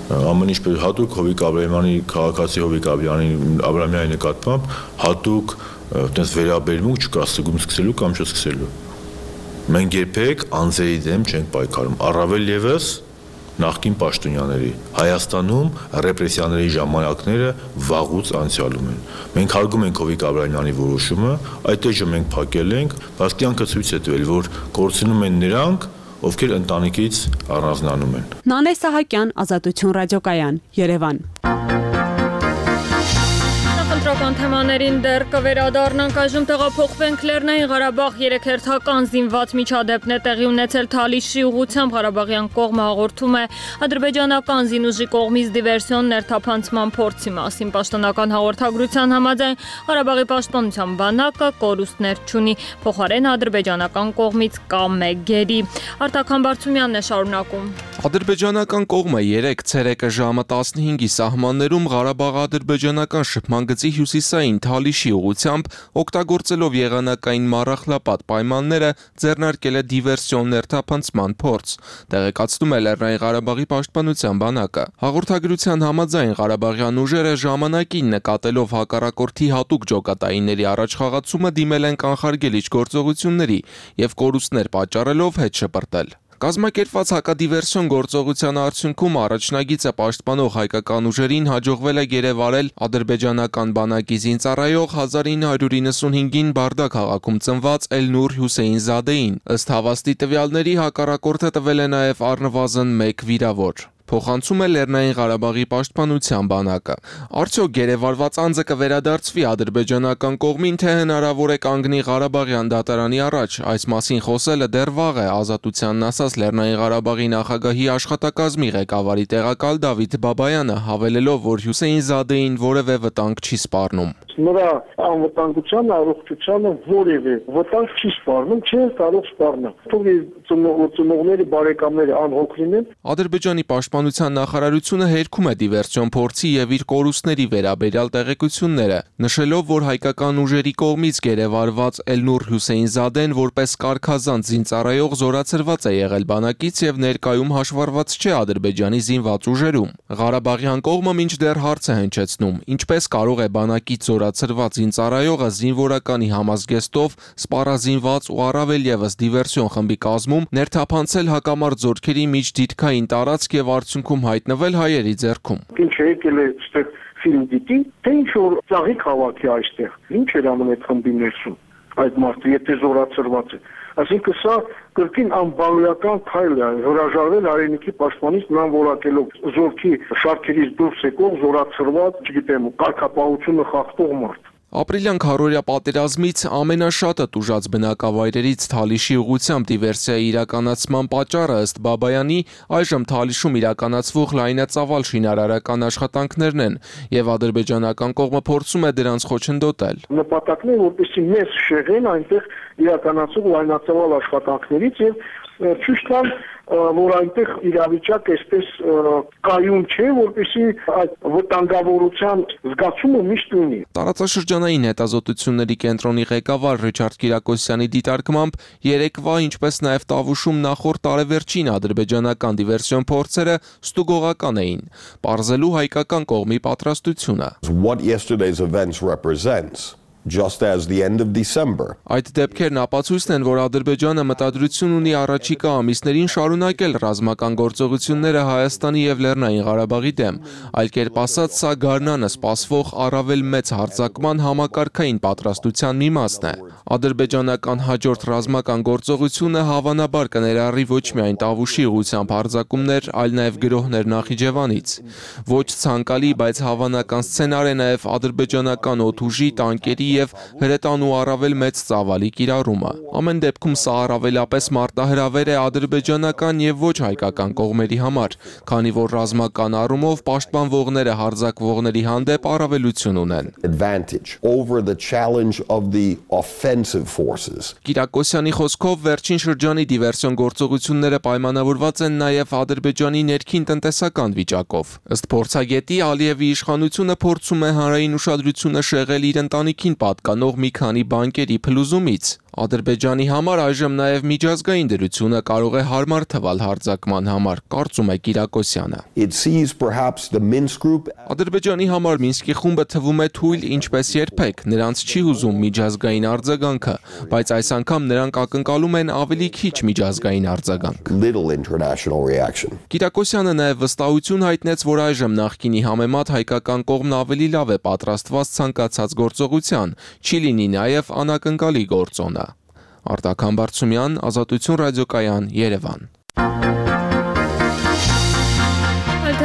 L: Ամեն ինչ հատուկ Հովիկ Աբրահամյանի քաղաքացի Հովիկ Աբրահամյանի նկատմամբ հատուկ այդպես վերաբերմունք չկա սկսելու կամ չսկսելու։ Մենք երբեք անձերի դեմ չենք պայքարում, առավել ևս նախկին պաշտոնյաների։ Հայաստանում ռեպրեսիաների ժամանակները վաղուց անցյալում են։ Մենք հարգում ենք Հովիկ Աբրահամյանի որոշումը, այդ էջը մենք փակել ենք, բայց կյանքը ցույց է տվել, որ կորցնում են նրանք, ովքեր ընտանիքից առանձնանում են։
K: Նանե Սահակյան, Ազատություն ռադիոկայան, Երևան։
A: Ընտրական թեմաներին դեռ կվերադառնանք, այժմ տեղափոխվենք Լեռնային Ղարաբաղ։ 3 հերթական զինված միջադեպն է տեղի ունեցել Թալիշի ուղղությամբ։ Ղարաբաղյան կողմը հաղորդում է ադրբեջանական զինուժի կողմից դիվերսիոն ներթափանցման փորձի մասին։ Պաշտոնական հաղորդագրության համաձայն Ղարաբաղի պաշտպանության բանակը կորուստներ չունի, փոխարեն ադրբեջանական կողմից կա 1 գերի։ Արտակ Համբարձումյանն է շարունակում։
N: Ադրբեջանական կողմը 3 ցերեկը ժամը 15-ի սահմաններում Ղարաբաղ-ադրբեջանական շփման գծի հյուսիսային Թալիշի ուղղությամբ օգտագործելով եղանակային մառախլապատ պայմանները ձեռնարկել է դիվերսիոն ներթափանցման փորձ, տեղեկացնում է Լեռնային Ղարաբաղի պաշտպանության բանակը։ Հաղորդագրության համաձայն ղարաբաղյան ուժերը ժամանակին նկատելով հակառակորդի հատուկ ջոկատայինների առաջխաղացումը դիմել են կանխարգելիչ գործողությունների եւ կորուստներ պատճառելով հետ շպրտել։ Կազմակերպված հակադիվերսիոն գործողության արդյունքում առաջնագիծը պաշտպանող հայկական ուժերին հաջողվել է գերեվարել ադրբեջանական բանակի զինծառայող 1995-ին Բարդա քաղաքում ծնված Էլնուր Հուսեյնզադեին։ Ըստ հավաստի տվյալների հակառակորդը տվել է նաև առնվազն 1 վիրավոր։ Փոխանցում է Լեռնային Ղարաբաղի պաշտպանության բանակը։ Արդյոք գերեվարված անձը կվերադարձվի ադրբեջանական կողմին, թե հնարավոր է կանգնի Ղարաբաղյան դատարանի առաջ։ Այս մասին խոսելը դեռ վաղ է, Ազատությանն ասաց Լեռնային Ղարաբաղի նախագահի աշխատակազմի ղեկավարի տեղակալ Դավիթ Բաբայանը, հավելելով, որ Հուսեյնզադեին որևէ վտանգ չի սպառնում։
L: Նրա անվտանգության առողջությանը որևէ վտանգ չի սպառնում, չէ կարող սպառնել։ Թող ծնողների բարեկամները անհոգ լինեն։
N: Ադրբեջանի պաշտպանության նախարարությունը հերքում է դիվերսիոն փորձի եւ իր կորուստների վերաբերյալ տեղեկությունները, նշելով, որ հայկական ուժերի կողմից գերեվարված Էլնուր Հուսեյնզադեն որպես կարգազանց զինծառայող զորացրված է եղել բանակից եւ ներկայում հաշվառված չէ Ադրբեջանի զինված ուժերում։ Ղարաբաղյան կողմը մինչդեռ հարց է հնչեցնում, ինչպես կարող է բանակից զորացրված զինծառայողը զինվորականի համազգեստով սպառազինված ու առավել ևս դիվերսիոն խմբի կազմում ներթափանցել հակամարտ զորքերի միջդիրքային տարածք եւ արդյունքում հայտնվել հայերի ձեռքում։
L: Ինչ եկել է այստեղ ֆիլմ դիտի, թե ինչ որ ծաղիկ հավաքի այստեղ։ Ինչ էր անում այդ խմբի ներսում։ Այդ մարդը եթե զորացրված է, այսինքն սա կրկին անբարոյական քայլ է, հրաժարվել հայրենիքի պաշտպանից նրան որակելով զորքի շարքերից դուրս եկող զորացրված, չգիտեմ, կարգապահությունը խախտող մարդ։
N: Ապրիլյան քարորյա պատերազմից ամենաշատը տուժած բնակավայրերից Թալիշի ուղղությամբ դիվերսիայի իրականացման պատճառը ըստ Բաբայանի այժմ Թալիշում իրականացվող լայնածավալ շինարարական աշխատանքներն են եւ ադրբեջանական կողմը փորձում է դրանց խոչընդոտել։
L: Նպատակն է, որպեսզի մեզ շեղեն այնտեղ իրականացող լայնածավալ աշխատանքներից եւ ցույց տալ, որ այնտեղ իրավիճակը այսպես կայուն չէ, որպեսզի այդ վտանգավորության զգացումը միշտ ունի։
N: Տարածաշրջանային հետազոտությունների կենտրոնի ղեկավար Ռիչարդ Կիրակոսյանի դիտարկմամբ երեկվա, ինչպես նաև Տավուշում նախորդ տարեվերջին ադրբեջանական դիվերսիոն փորձերը ստուգողական էին, պարզելու հայկական կողմի պատրաստությունը։
O: What yesterday's events represents just as the end of December.
N: Այդ դեպքերն ապացույցն են, որ Ադրբեջանը մտադրություն ունի առաջիկա ամիսներին շարունակել ռազմական գործողությունները Հայաստանի եւ Լեռնային Ղարաբաղի դեմ, այլ կերպ ասած, սա գարնանը սպասվող առավել մեծ հարձակման համակարգային պատրաստության մի մասն է։ Ադրբեջանական հաջորդ ռազմական գործողությունը հավանաբար կներառի ոչ միայն Տավուշի ուղղությամբ հարձակումներ, այլ նաեւ գրոհներ Նախիջևանից։ Ոչ ցանկալի, բայց հավանական սցենար է նաեւ ադրբեջանական օդուժի, տանկերի եւ հրետանու առավել մեծ ծավալի կիրառումը։ Ամեն դեպքում սա առավելապես մարտահրավեր է ադրբեջանական եւ ոչ հայկական կողմերի համար, քանի որ ռազմական առումով պաշտպանվողները հարձակվողների հանդեպ առավելություն ունեն։
O: Over the challenge of the offensive forces.
N: Կիրակոսյանի խոսքով վերջին շրջանի դիվերսիոն գործողությունները պայմանավորված են նաև Ադրբեջանի ներքին տնտեսական վիճակով։ Ըստ փորձագետի Ալիևի իշխանությունը փորձում է հանրային ուշադրությունը շեղել իր ընտանիքին պատկանող մի քանի բանկերի փլուզումից։ Ադրբեջանի համար այժմ նաև միջազգային դրությունը կարող է հարմար թվալ հարձակման համար, կարծում է Կիրակոսյանը։ Ադրբեջանի համար Մինսկի խումբը թվում է թույլ ինչպես երբեք, նրանց չի հուզում միջազգային արձագանքը, բայց այս անգամ նրանք ակնկալում են ավելի քիչ միջազգային արձագանք։ Կիրակոսյանը նաև վստահություն հայտնեց, որ այժմ նախկինի համեմատ հայկական կողմն ավելի լավ է պատրաստված ցանկացած գործողության, չի լինի նաև անակնկալի գործոնը։ Արտակ Համբարձումյան, Ազատություն ռադիոկայան, Երևան։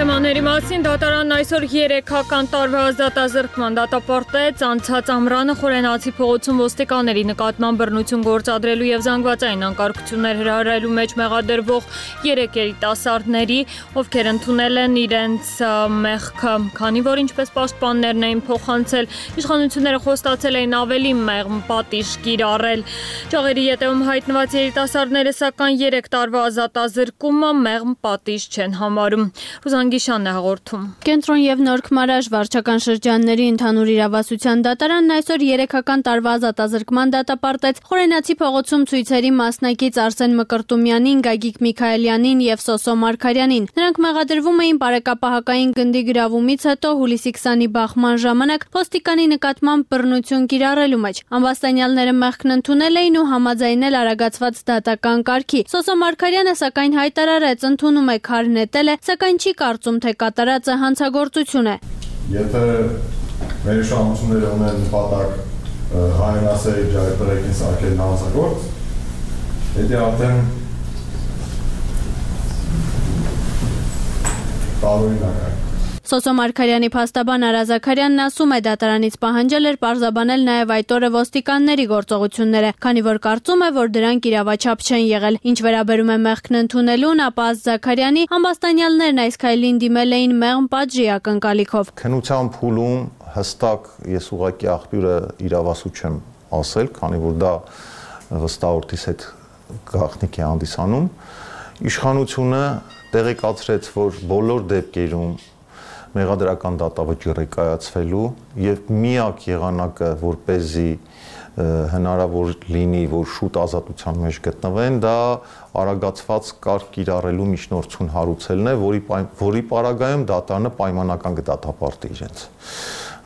A: Թեմաների մասին դատարանն այսօր 3-ական տարվա ազատազրկման դատապարտեց անցած ամռանը Խորենացի փողոցում ոստիկանների նկատմամբ բռնություն գործադրելու եւ զանգվածային անկարգություններ հրահրելու մեջ մեղադրվող 3 երիտասարդների, ովքեր ընդունել են իրենց մեղքը, քանի որ ինչպես պաշտպաններն էին փոխանցել, իշխանությունները խոստացել էին ավելի մեղմ պատիժ կիրառել։ Ճաղերի ետևում հայտնված երիտասարդները սակայն 3 տարվա ազատազրկումը մեղմ պատիժ չեն համարում։ Գիշանն է հաղորդում։
P: Կենտրոն եւ Նոր Քմարաշ վարչական շրջանների ընդհանուր իրավասության դատարանն այսօր 3-ական տարվա ազատազրկման դատապարտեց Խորենացի փողոցում ցույցերի մասնակից Արսեն Մկրտումյանին, Գագիկ Միքայելյանին եւ Սոսո Մարգարյանին։ Նրանք մեղադրվում էին բարեկապահակային գնդի գրավումից հետո հուլիսի 20-ի բախման ժամանակ ոստիկանի նկատմամբ բռնություն կիրառելու մեջ։ Ամբաստանյալները մեղքն ընդունել էին ու համաձայնել արագացված դատական կարգի։ Սոսո Մարգարյանը սակայն հայտարարեց, ընդունում է քար նետել է, սակայն չի կարծում, թե կատարածը հանցագործություն է։
Q: Եթե մեր իշխանությունները ունեն նպատակ հայրենասերի ջահելտերեկին սարքել հանցագործ, դա արդեն տարօրինակ է։
P: Սոսո Մարգարյանի փաստաբան Արա Զաքարյանն ասում է, դատարանից պահանջել էր պարզաբանել նաև այդ օրը ոստիկանների գործողությունները, քանի որ կարծում է, որ դրանք իրավաչափ չեն եղել։ Ինչ վերաբերում է մեղքն ընդունելուն, ապա ըստ Զաքարյանի ամբաստանյալներն այս քայլին դիմել էին մեղմ պատժի ակնկալիքով։
Q: Քննության փուլում հստակ ես ուղղակի աղբյուրը իրավասու չեմ ասել, քանի որ դա վստահորդիս հետ գաղտնիք է հանդիսանում։ Իշխանությունը տեղեկացրեց, որ բոլոր դեպքերում մեղադրական դատավճիռ է կայացվելու եւ միակ եղանակը, որպեսզի հնարավոր լինի, որ շուտ ազատության մեջ գտնվեն, դա արագացված կարգ կիրառելու միջնորդություն հարուցելն է, որի պարագայում դատարանը պայմանական կդատապարտի իրենց։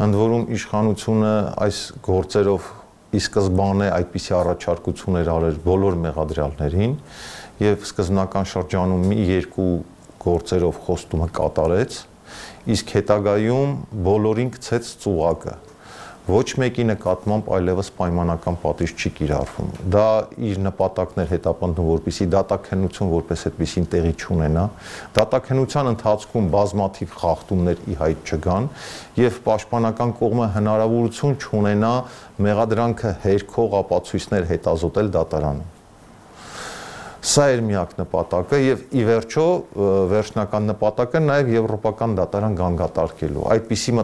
Q: Ընդ որում իշխանությունը այս գործերով ի սկզբանե այդպիսի առաջարկություններ արել բոլոր մեղադրյալներին եւ սկզբնական շրջանում մի երկու գործերով խոստումը կատարեց, իսկ հետագայում բոլորին գցեց ծուղակը։ Ոչ մեկի նկատմամբ այլևս պայմանական պատիժ չի կիրառվում։ Դա իր նպատակն էր հետապնդում, որպեսզի դատաքննություն որպես այդպիսին տեղի չունենա։ Դատաքննության ընթացքում բազմաթիվ խախտումներ ի հայտ չգան եւ պաշտպանական կողմը հնարավորություն չունենա մեղադրանքը հերքող ապացույցներ հետազոտել դատարանում։ Սա էր միակ նպատակը եւ ի վերջո վերջնական նպատակը նաեւ եվրոպական դատարան գանգատարկելու։ Այդպիսի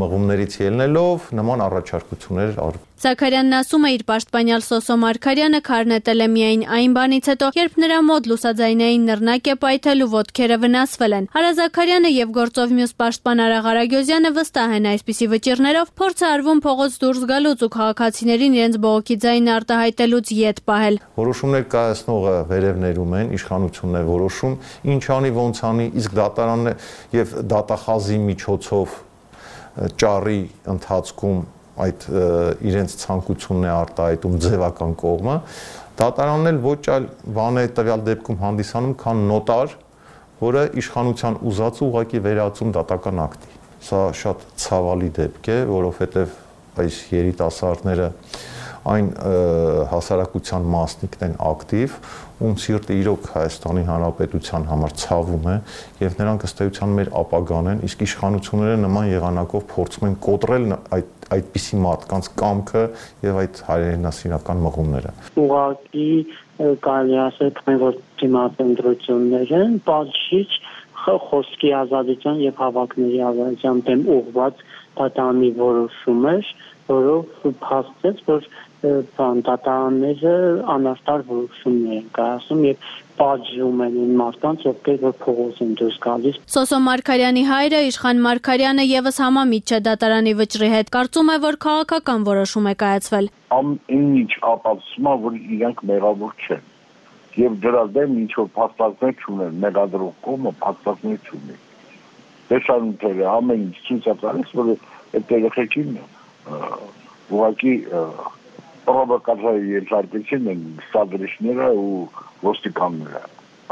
Q: մղումներից ելնելով նման առաջարկություններ արվում։
P: Զաքարյանն ասում է, իր պաշտպանյալ Սոսո Մարգարյանը քար նետել է միայն այն բանից հետո, երբ նրա մոտ լուսաձայնային նռնակ է պայթել ու ոտքերը վնասվել են։ Արա Զաքարյանը եւ գործով մյուս պաշտպան Արա Ղարագյոզյանը վստահ են այսպիսի վճիռներով փորձ է արվում փողոց դուրս գալուց ու քաղաքացիներին իրենց բողոքի ձայնը արտահայտելուց ետ պահել։
Q: Որոշումներ կայացնողը վերևներում են, իշխանությունն է որոշում, ինչ անի, ոնց անի, իսկ դատարանն եւ դատախազի միջոցով ճառի ընթացքում այդ իրենց ցանկությունն է արտահայտում ձևական կողմը, դատարանն էլ ոչ այլ բան է տվյալ դեպքում հանդիսանում, քան նոտար, որը իշխանության ուզածը ուղղակի վերածում դատական ակտի։ Սա շատ ցավալի դեպք է, որովհետև այս երիտասարդները այն հասարակության մասնիկն են ակտիվ, ում սիրտը իրոք Հայաստանի Հանրապետության համար ցավում է եւ նրանք ըստ էության մեր ապագան են, իսկ իշխանությունները նման եղանակով փորձում են կոտրել այդպիսի մարդկանց կամքը եւ այդ հայրենասիրական մղումները։
R: Ուղղակի կարելի ասել, որ դիմադրությունները բացիչ խոսքի ազատության եւ հավաքների ազատության դեմ ուղղված դատարանի որոշում էր, որով փաստեց, որ դատարանները անարտար որոշումներ են կայացնում եւ պատժում են մարդկանց, ովքեր որ փողոց են դուրս գալիս։
P: Սոսո Մարգարյանի հայրը Իշխան Մարգարյանը եւս համամիտ չէ դատարանի վճռի հետ, կարծում է, որ քաղաքական որոշում է կայացվել։
S: Ամեն ինչ ապացուցում է, որ իրանք մեղավոր չեն։ Եվ դրա դեմ ինչ որ փաստարկներ չունեն, մեղադրող կողմը փաստարկներ չունի։ Տեսանյութերը ամեն ինչ ցույց է տալիս, որ այդ երեխեքին ուղղակի պրովոկացիայի ենթարկեցին են ստադրիչները ու ոստիկանները։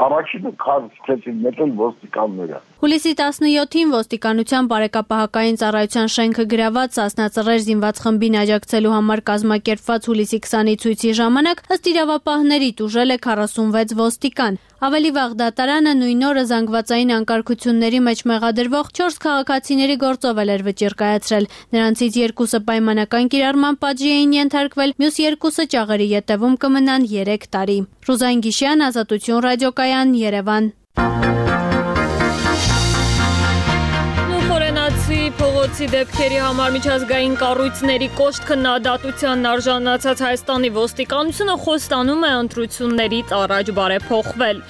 S: Առաջինը քարծեցին մեծել ոստիկանները։
P: Հուլիսի 17-ին ոստիկանության բարեկապահական ծառայության շենքը գրաված Սասնա Ծռեր զինված խմբին աջակցելու համար կազմակերպված հուլիսի 20-ի ցույցի ժամանակ ըստ իրավապահների տուժել է 46 ոստիկան։ Ավելի վաղ դատարանը նույն օրը զանգվածային անկարգությունների մեջ մեղադրվող 4 քաղաքացիների գործով էր վճիռ կայացրել։ Նրանցից 2-ը պայմանական կիրառման պատժի էին ենթարկվել, մյուս 2-ը ճաղերի ետևում կմնան 3 տարի։ Ռուզան Գիշյան, Ազատություն ռադիոկայան, Երևան։ Փողոցի դեպքերի համար միջազգային կառույցների կոշտ քննադատությանն արժանացած Հայաստանի ոստիկանությունը խոստանում է ընտրություններից առաջ բարեփոխվել։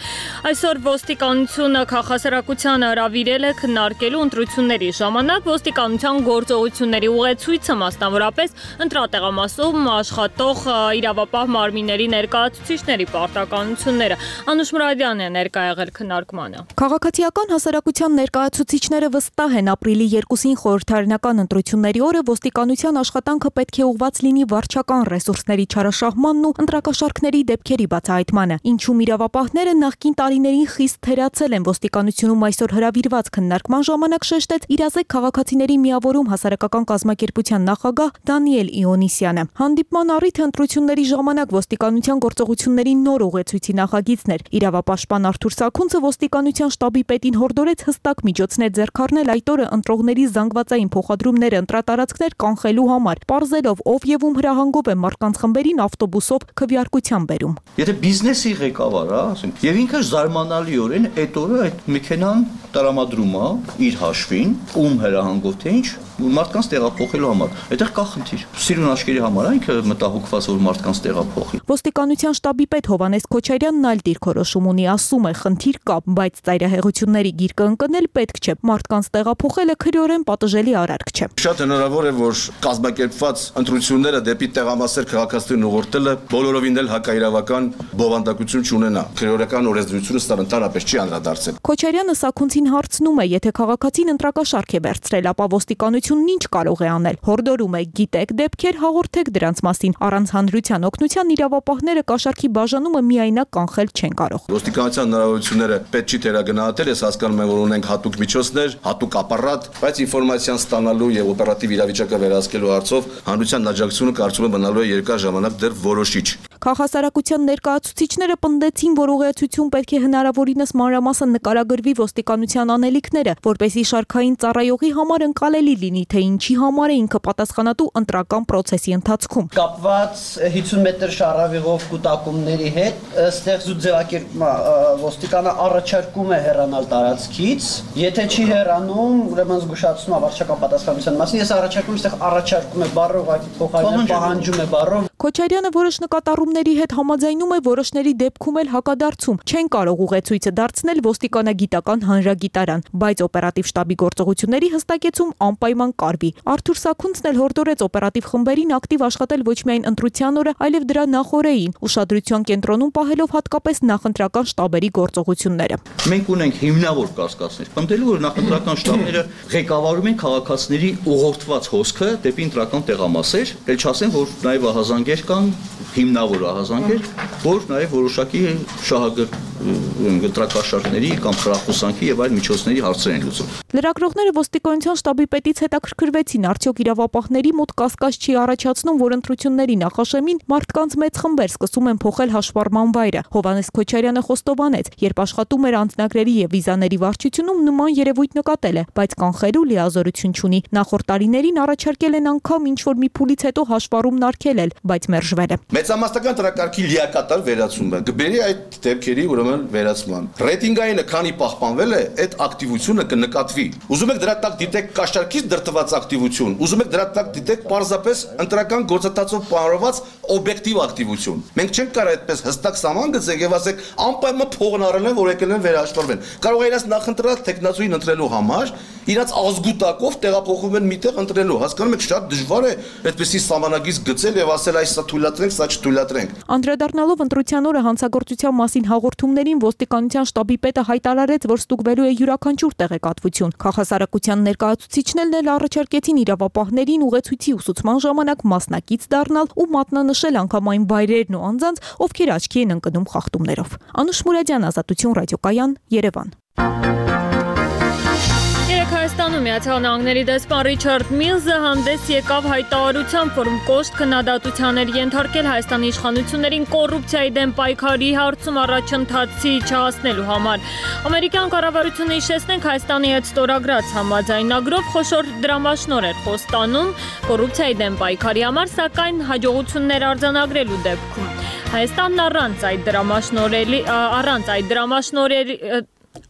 P: Այսօր ոստիկանությունը քաղաքասարակությանը հրավիրել է քննարկելու ընտրությունների ժամանակ ոստիկանության գործողությունների ուղեցույցը, մասնավորապես ընտրատեղամասում աշխատող իրավապահ մարմինների ներկայացուցիչների պարտականությունները։ Անուշ Մուրադյանն է ներկա եղել քննարկմանը։
T: Քաղաքացիական հասարակության ներկայացուցիչները վստահ են ապրիլի 2-ին խորհրդարանական ընտրությունների օրը ոստիկանության աշխատանքը պետք է ուղղված լինի վարչական ռեսուրսների չարաշահմանն ու ընտրակաշառքների դեպքերի բացահայտմանը։ Ինչում իրավապահները նախկին տարիներին խիստ թերացել են ոստիկանությունում այսօր հրավիրված քննարկման ժամանակ շեշտեց իրազեկ քաղաքացիների միավորում հասարակական կազմակերպության նախագահ Դանիել Իոնիսյանը։ Հանդիպման առիթը ընտրությունների ժամանակ ոստիկանության գործողությունների նոր ուղեցույցի նախագիծն էր։ Իրավապաշտպան Արթուր Սաքունցը ոստիկանության շտաբի պետին հորդորեց հստակ միջոցներ ձեռք առնել այդ օրը ընտրողների զանգվածային փոխադրումները ընտրատարածքներ կանխելու համար, պարզելով ով եւ ում հրահանգով է մարդկանց խմբերին ավտոբուսով քվեարկության բերում։
U: Եթե բիզնեսի ղեկավար է, ասենք, եւ ինքը զարմանալիորեն այդ օրը այդ մեքենան տրամադրում է իր հաշվին, ում հրահանգով թե ինչ, մարդկանց տեղափոխելու համար։ Այդտեղ կա խնդիր։ Սիրուն աչքերի համար է ինքը մտահոգված որ մարդկանց տեղափոխի։
T: Ոստիկանության շտաբի պետ Հովհաննես Քոչարյանն այլ դիրքորոշում ունի, ասում է, խնդիր կա, բայց ծայրահեղությունների գիրկը ընկնել պետք չէ։ Մարդկանց տեղափոխելը քրեորեն պատժելի արարք չէ։
V: Շատ հնարավոր է, որ կազմակերպված ընտրությունները դեպի տեղամասեր քաղաքացիներին ուղղորդելը բոլորովին էլ հակաիրավական բովանդակություն չունենա։ Քրեորական օրենսդրությունը սա ընդհանրապես չի անդրադարձել։
T: Քոչարյանը Սաքունցին հարցնում է, եթե քաղաքացին ընտրակաշառք է վերցրել, ապա ոստիկանությունն ինչ կարող է անել։ Հորդորում է, գիտեք դեպքեր, հաղորդեք դրանց մասին։ Առանց հանրության օգնության իրավապահները կաշառքի բաժանումը միայնակ կանխել չեն կարող։
V: Ոստիկանության հնարավորությունները պետք չի թերագնահատել, ես հասկանում եմ, որ ունենք հատուկ միջոցներ, հատուկ ապարատ, բայց ինֆորմացիան ստանալու եւ օպերատիվ իրավիճակը վերահսկելու հարցով հանրության աջակցությունը կարծում եմ մնալու է երկար ժամանակ դեռ որոշիչ։
T: Քաղաքասարակության ներկայացուցիչները պնդեցին, որ ուղղեցություն պետք է հնարավորինս մանրամասն նկարագրվի ոստիկանության անելիքները, որպեսզի շարքային ծառայողի համար ընկալելի լինի, թե ինչի համար է ինքը պատասխանատու ընտրական process-ի ընթացքում։
W: Կապված 50 մետր շարավիղով կուտակումների հետ, ստեղծու ձևակերպումը ոստիկանը առաջարկում է հեռանալ տարածքից, եթե չի հեռանում, ուրեմն զգուշացնում է վարչական պատասխանատվության մասին, ես առաջարկում է բառը ուղղակի փոխարինել պահանջում է բառով։
T: Քոչարյանը որոշ նկատառումների հետ համաձայնում է, որոշների դեպքում էլ հակադարձում։ Չեն կարող ուղեցույցը դարձնել ոստիկանագիտական հանրագիտարան, բայց օպերատիվ շտաբի գործողությունների հստակեցում անպայման կարվի։ Արթուր Սաքունցն էլ հորդորեց օպերատիվ խմբերին ակտիվ աշխատել ոչ միայն ընտրության օրը, այլև դրա նախօրեին, ուշադրության կենտրոնում պահելով հատկապես նախընտրական շտաբերի գործողությունները։
U: Մենք ունենք հիմնավոր կասկածներ, պնդելու որ նախընտրական շտաբները ղեկավարում են քաղաքացիների ուղղորդված հոսքը դեպի ընտրական տեղամասեր, ել չասեմ, որ նաև ահազանգեր կան, հիմնավոր ահազանգեր, որ նաև որոշակի ընտրակաշառքների կամ խրախուսանքի եւ այլ միջոցների հարցեր են լուծում։
T: Լրագրողները ոստիկանության շտաբի պետից հետաքրքրվեցին, արդյոք իրավապահների մոտ կասկած չի առաջացնում, որ ընտրությունների նախաշեմին մարդկանց մեծ խմբեր սկսում են փոխել հաշվառման վայրը։ Հովհաննես Քոչարյանը խոստովանեց, երբ աշխատում էր անձնագրերի եւ վիզաների վարչությունում նման երևույթ նկատել է, բայց կանխելու լիազորություն չունի։ Նախորդ տարիներին առաջարկել են անգամ ինչ-որ մի փուլից հետո հաշվառումն արգելել, բայց մերժվել է։
V: Մեծամասնական տրակարգի լիակատար վերացումը կբերի այդ դեպքերի ուրեմն վերացման։ Ռեյտինգայինը քանի պահպանվել է, այդ ակտիվությունը կնկատվի։ Ուզում եք դրա տակ դիտեք կաշառքից դրտված ակտիվություն, ուզում եք դրա տակ դիտեք պարզապես ընտրական գործընթացով պարավորված օբյեկտիվ ակտիվություն։ Մենք չենք կարող այդպես հստակ սահման գծենք եւ ասենք անպայման փողն առել են, որ եկել են վերահաշվառվեն։ Կարող է իրաց նախընտրած տեխնացուին ընտրելու համար իրաց ազգուտակով տեղափոխվում են միտեղ ընտրելու։ Հասկանում եք, շատ դժվար է այդպեսի սահմանագիծ գծել եւ ասել այս սա թույլատրենք, սա չթույլատրենք։
T: Անդրադառնալով ընտրության օրը հանցագործության մասին հաղորդումներին ոստիկանության շտաբի պետը հայտարարեց, որ ստուգվելու է յուրաքանչյուր տեղեկատվություն։ Քաղաքասարակության ներկայացուցիչներն էլ առաջարկեցին իրավապահներին ուղեցույցի ուսուցման ժամանակ մասնակից դառնալ ու մատնանշել անգամ այն վայրերն ու անձանց, ովքեր աչքի են ընկնում խախտումներով։ Անուշ Մուրադյան, Ազատություն ռադիոկայան, Երևան։
A: Հայաստանում Միացյալ Նահանգների դեսպան Ռիչարդ Միլզը հանդես եկավ հայտարարությամբ, որում կոշտ քննադատության էր ենթարկել Հայաստանի իշխանություններին կոռուպցիայի դեմ պայքարի հարցում առաջընթացի չհասնելու համար։ Ամերիկյան կառավարությունը հիշեցնենք Հայաստանի հետ ստորագրած համաձայնագրով խոշոր դրամաշնոր էր խոստանում կոռուպցիայի դեմ պայքարի համար, սակայն հաջողություններ արձանագրելու դեպքում Հայաստանն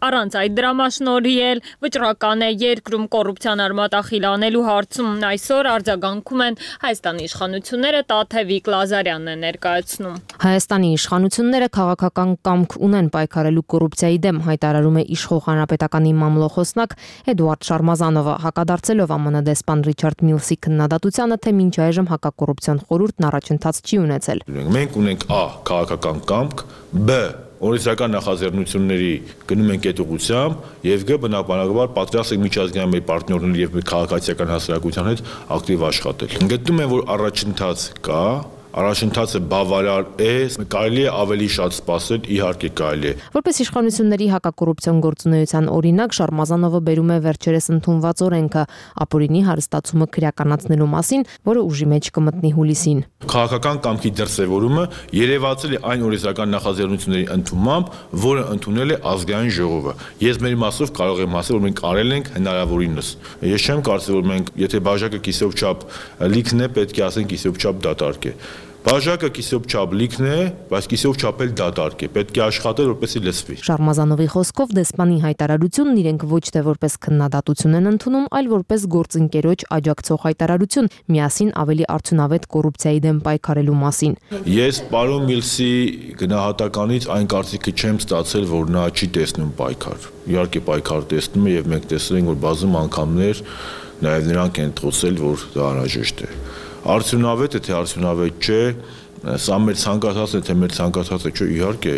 A: առանց այդ դրամաշնորհի էլ վճռական է երկրում կոռուպցիան արմատախիլ անելու հարցում այսօր արձագանքում են Հայաստանի իշխանությունները, Տաթևիկ Լազարյանն է ներկայացնում։
C: Հայաստանի իշխանությունները քաղաքական կամք ունեն պայքարելու կոռուպցիայի դեմ, հայտարարում է իշխող հանրապետականի մամլոխոսնակ Էդուարդ Շարմազանովը, հակադարձելով ԱՄՆ դեսպան Ռիչարդ Միլսի քննադատությանը, թե մինչ այժմ հակակոռուպցիոն խորհուրդն առաջընթաց չի ունեցել։
L: Մենք ունենք A. քաղաքական կամք, B. օրենսդրական նախաձեռնությունների գնում ենք այդ ուղղությամբ եւ G բնականաբար պատրաստ ենք միջազգային մեր պարտներների եւ քաղաքացիական հասարակության հետ ակտիվ աշխատել։ Գտնում եմ, որ առաջընթաց կա, առաջընթացը բավարար է, կարելի է ավելի շատ սպասել, իհարկե կարելի է։
C: Որպես իշխանությունների հակակոռուպցիոն գործունեության օրինակ Շարմազանովը բերում է վերջերս ընդունված օրենքը ապօրինի հարստացումը քրեականացնելու մասին, որը ուժի մեջ կմտնի հուլիսին։
L: Քաղաքական կամքի դրսևորումը երևացել է այն օրենսդրական նախաձեռնությունների ընդունմամբ, որը ընդունել է ազգային ժողովը։ Ես մեր մասով կարող եմ ասել, որ մենք արել ենք հնարավորինս։ Ես չեմ կարծում, որ մենք, եթե բաժակը կիսով չափ լիքն է, պետք է ասենք կիսով չափ դատարկ է։ Բաժակը կիսով չափ լիքն է, բայց կիսով չափ էլ դատարկ է։ Պետք է աշխատել, որպեսզի լսվի։
C: Շարմազանովի խոսքով դեսպանի հայտարարությունն իրենք ոչ թե որպես քննադատություն են ընդունում, այլ որպես գործընկերոջ աջակցող հայտարարություն, միասին ավելի արդյունավետ կոռուպցիայի դեմ պայքարելու մասին։
L: Ես պարոն Միլսի գնահատականից այն կարծիքը չեմ ստացել, որ նա չի տեսնում պայքար։ Իհարկե պայքար տեսնում է եւ մենք տեսել ենք, որ բազում անգամներ նաեւ նրանք են խոսել, որ դա անհրաժեշտ է։ Արդյունավետ է, թե արդյունավետ չէ, սա մեր ցանկացածն է, թե մեր ցանկացածը չէ, իհարկե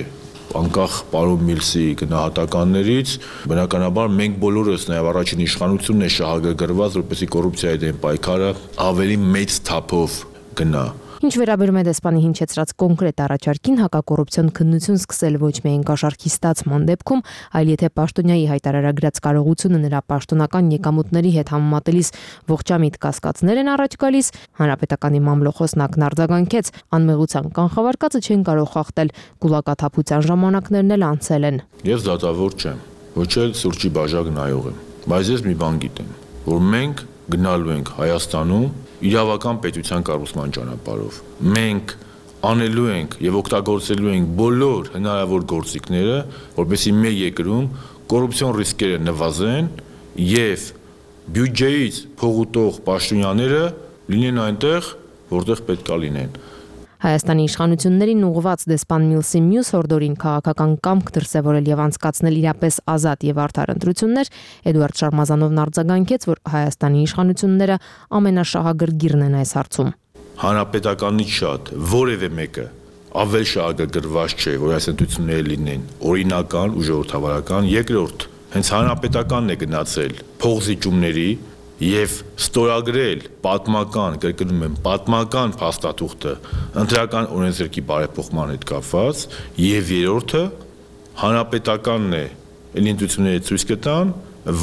L: անկախ պարոն Միլսի գնահատականներից, բնականաբար մենք բոլորս նաև առաջին իշխանությունն է շահագրգռված, որպեսզի կոռուպցիայի դեմ պայքարը ավելի մեծ թափով գնա։
C: Ինչ վերաբերում է դեսպանի հնչեցրած կոնկրետ առաջարկին, հակակոռուպցիոն քննություն սկսել ոչ միայն կաշառքի ստացման դեպքում, այլ եթե պաշտոնյայի հայտարարագրած կարողությունը նրա պաշտոնական եկամուտների հետ համեմատելիս ողջամիտ կասկածներ են առաջ գալիս, հանրապետականի մամլոխոսնակն արձագանքեց, անմեղության կանխավարկածը չեն կարող խախտել, գուլակաթափության ժամանակներն էլ անցել են։
L: Ես դատավոր չեմ, ոչ էլ սուրճի բաժակ նայող եմ, բայց ես մի բան գիտեմ, որ մենք գնալու ենք Հայաստանում իրավական պետության կառուցման ճանապարհով։ Մենք անելու ենք եւ օգտագործելու ենք բոլոր հնարավոր գործիքները, որպեսզի մեր երկրում կոռուպցիոն ռիսկերը նվազեն եւ բյուջեից փողուտող պաշտոնյաները լինեն այնտեղ, որտեղ պետք է լինեն։
C: Հայաստանի իշխանություններին ուղղված դեսպան Միլսի մյուս հորդորին քաղաքական կամք դրսևորել եւ անցկացնել իրապես ազատ եւ արդար ընտրություններ, Էդուարդ Շարմազանովն արձագանքեց, որ Հայաստանի իշխանությունները ամենաշահագրգիռն են այս հարցում։
L: Հանրապետականից շատ որևէ մեկը ավել շահագրգռված չէ, որ այս ընտրությունները լինեն օրինական ու ժողովրդավարական։ Երկրորդ, հենց հանրապետականն է գնացել փողզիջումների եւ ստորագրել պատմական, կրկնում եմ, պատմական փաստաթուղթը ընտրական օրենսգրքի բարեփոխման հետ կապված, եւ երրորդը հանրապետականն է ինտուիցիաները ցույց կտան,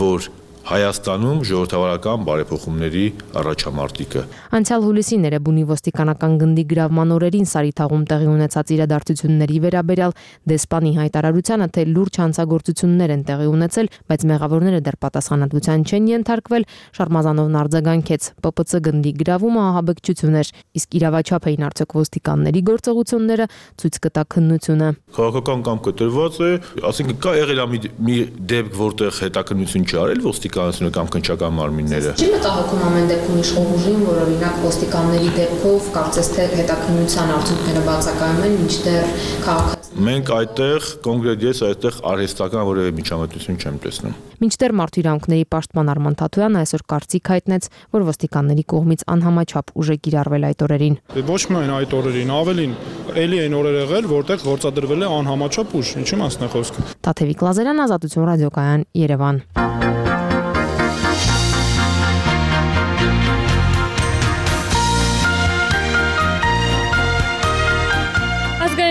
L: որ Հայաստանում ժողովրդավարական բարեփոխումների առաջամարտիկը։
C: Անցյալ հուլիսին Էրեբունի ոստիկանական գնդի գրավման օրերին Սարիթաղում տեղի ունեցած իրադարձությունների վերաբերյալ դեսպանի հայտարարությանը, թե լուրջ հանցագործություններ են տեղի ունեցել, բայց մեղավորները դեռ պատասխանատվության չեն ենթարկվել, Շարմազանովն արձագանքեց. ՊՊՑ գնդի գրավումը ահաբեկչություն էր, իսկ իրավաչափ էին արդյոք ոստիկանների գործողությունները, ցույց կտա քննությունը։
L: Քաղաքական կամքը տրված է, ասենք կա եղել մի դեպք, որտեղ հետաքննություն չարել ոստիկանությունը կամ քննչական մարմինները։
C: Չի մտահոգում ամեն դեպքում իշխող ուժին, որ օրինակ ոստիկանների դեպքով կարծես թե հետաքննության արդյունքները բացակայում են, մինչդեռ քաղաքացիները։
L: Մենք այդտեղ կոնկրետ ես այդտեղ արհեստական որևէ միջամտություն չեմ տեսնում։
C: Մինչդեռ մարդու իրավունքների պաշտպան Արման Թաթոյանը այսօր կարծիք հայտնեց, որ ոստիկանների կողմից անհամաչափ ուժ է կիրառվել այդ օրերին։
D: Ոչ միայն այդ օրերին, ավելին էլի այն օրեր եղել, որտեղ գործադրվել է անհամաչափ ուժ, ինչի մասն է խոսքը։
C: Տաթևիկ Լազարյան, Ազատություն ռադիոկայան, Երևան։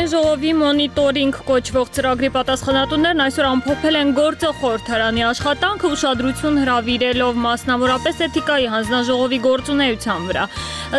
A: Ժողովի մոնիտորինգ կոչվող ծրագրի պատասխանատուներն այսօր ամփոփել են գործող խորհրդարանի աշխատանքը, ուշադրություն հրավիրելով մասնավորապես էթիկայի հանձնաժողովի գործունեության վրա։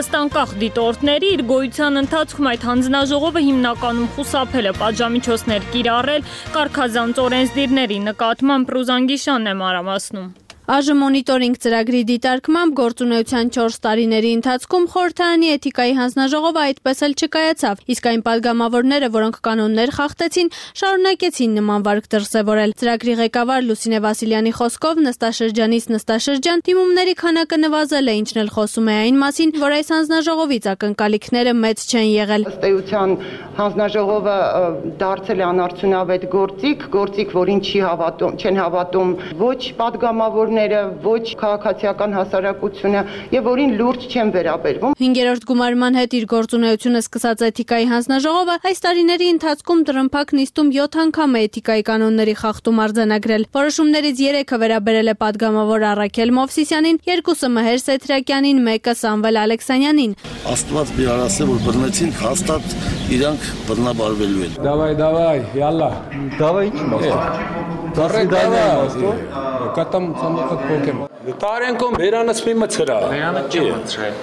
A: Ըստ անկախ դիտորդների, իր գոյության ընթացքում այդ հանձնաժողովը հիմնականում խուսափել է պատժամիջոցներ կիրառել կարգազանց օրենսդիրների նկատմամբ։ Ռուզանգիշանն է մանրամասնում։
P: Այժմ մոնիտորինգ ծրագրի դիտարկմամբ գործունեության 4 տարիների ընթացքում խորհրդարանի էթիկայի հանձնաժողովը այդպես էլ չկայացավ, իսկ այն падգամավորները, որոնք կանոններ խախտեցին, շարունակեցին նման վարք դրսևորել։ Ծրագրի ղեկավար Լուսինե Վասիլյանի խոսքով նստաշրջանից նստաշրջան դիմումների քանակը նվազել է, ինչն էլ խոսում է այն մասին, որ այս հանձնաժողովից ակնկալիքները մեծ չեն եղել։
E: Ըստ էության հանձնաժողովը դարձել է անարդյունավետ գործիք, որին չեն հավատում ոչ падգամավորները, ոչ քաղաքացիական հասարակությունը եւ որին լուրջ չեն վերաբերվում։
P: 5-րդ գումարման հետ իր գործունեությունը սկսած էթիկայի հանձնաժողովը այս տարիների ընթացքում տրմփակ նիստում 7 անգամ է էթիկայի կանոնների խախտում արձանագրել։ Որոշումներից 3-ը վերաբերել է падգամավոր Առաքել Մովսիսյանին, 2-ը Մհեր Սեթրակյանին, 1-ը Սամվել Ալեքսանյանին։
F: Աստված մի արասե որ բռնեցին, հաստատ իրանք բռնաբարվելու են։
X: Давай, յալլա։ Давай ինչ մաս։ Կատամ ցամաքդ փոքեմ։ Տարենկոմ վերանս մի մցրա։ Վերանը չի մցրել։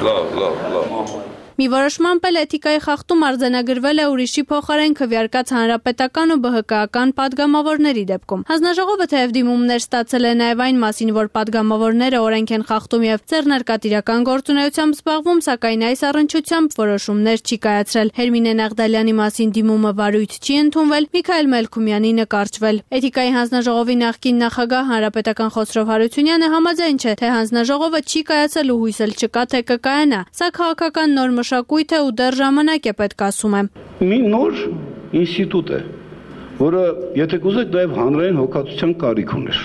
X: Լավ։
P: Մի որոշմամբ էլ էթիկայի խախտում արձանագրվել է ուրիշի փոխարեն քվեարկած հանրապետական ու ԲՀԿ-ական падգամավորների դեպքում։ Հանձնաժողովը թեև դիմումներ ստացել է նաև այն մասին, որ падգամավորները օրենք են խախտում եւ ձեռնարկատիրական գործունեությամբ զբաղվում, սակայն այս առնչությամբ որոշումներ չի կայացրել։ Հերմինե Նաղդալյանի մասին դիմումը վարույթ չի ընդունվել, Միքայել Մելքումյանի նկարչվել։ Էթիկայի հանձնաժողովի նախկին նախագահ հանրապետական Խոսրով Հարությունյանը համաձայն չէ, թե հանձնաժողովը չի կայացել ու հույս էլ չկա, թե կկայանա։ Սա քաղաքական նոր մշակույթ է ու դեռ ժամանակ է պետք, ասում է։
Y: Մի նոր ինստիտուտ է, որը եթե կուզեք նաև հանրային հոգացության կարիք ուներ,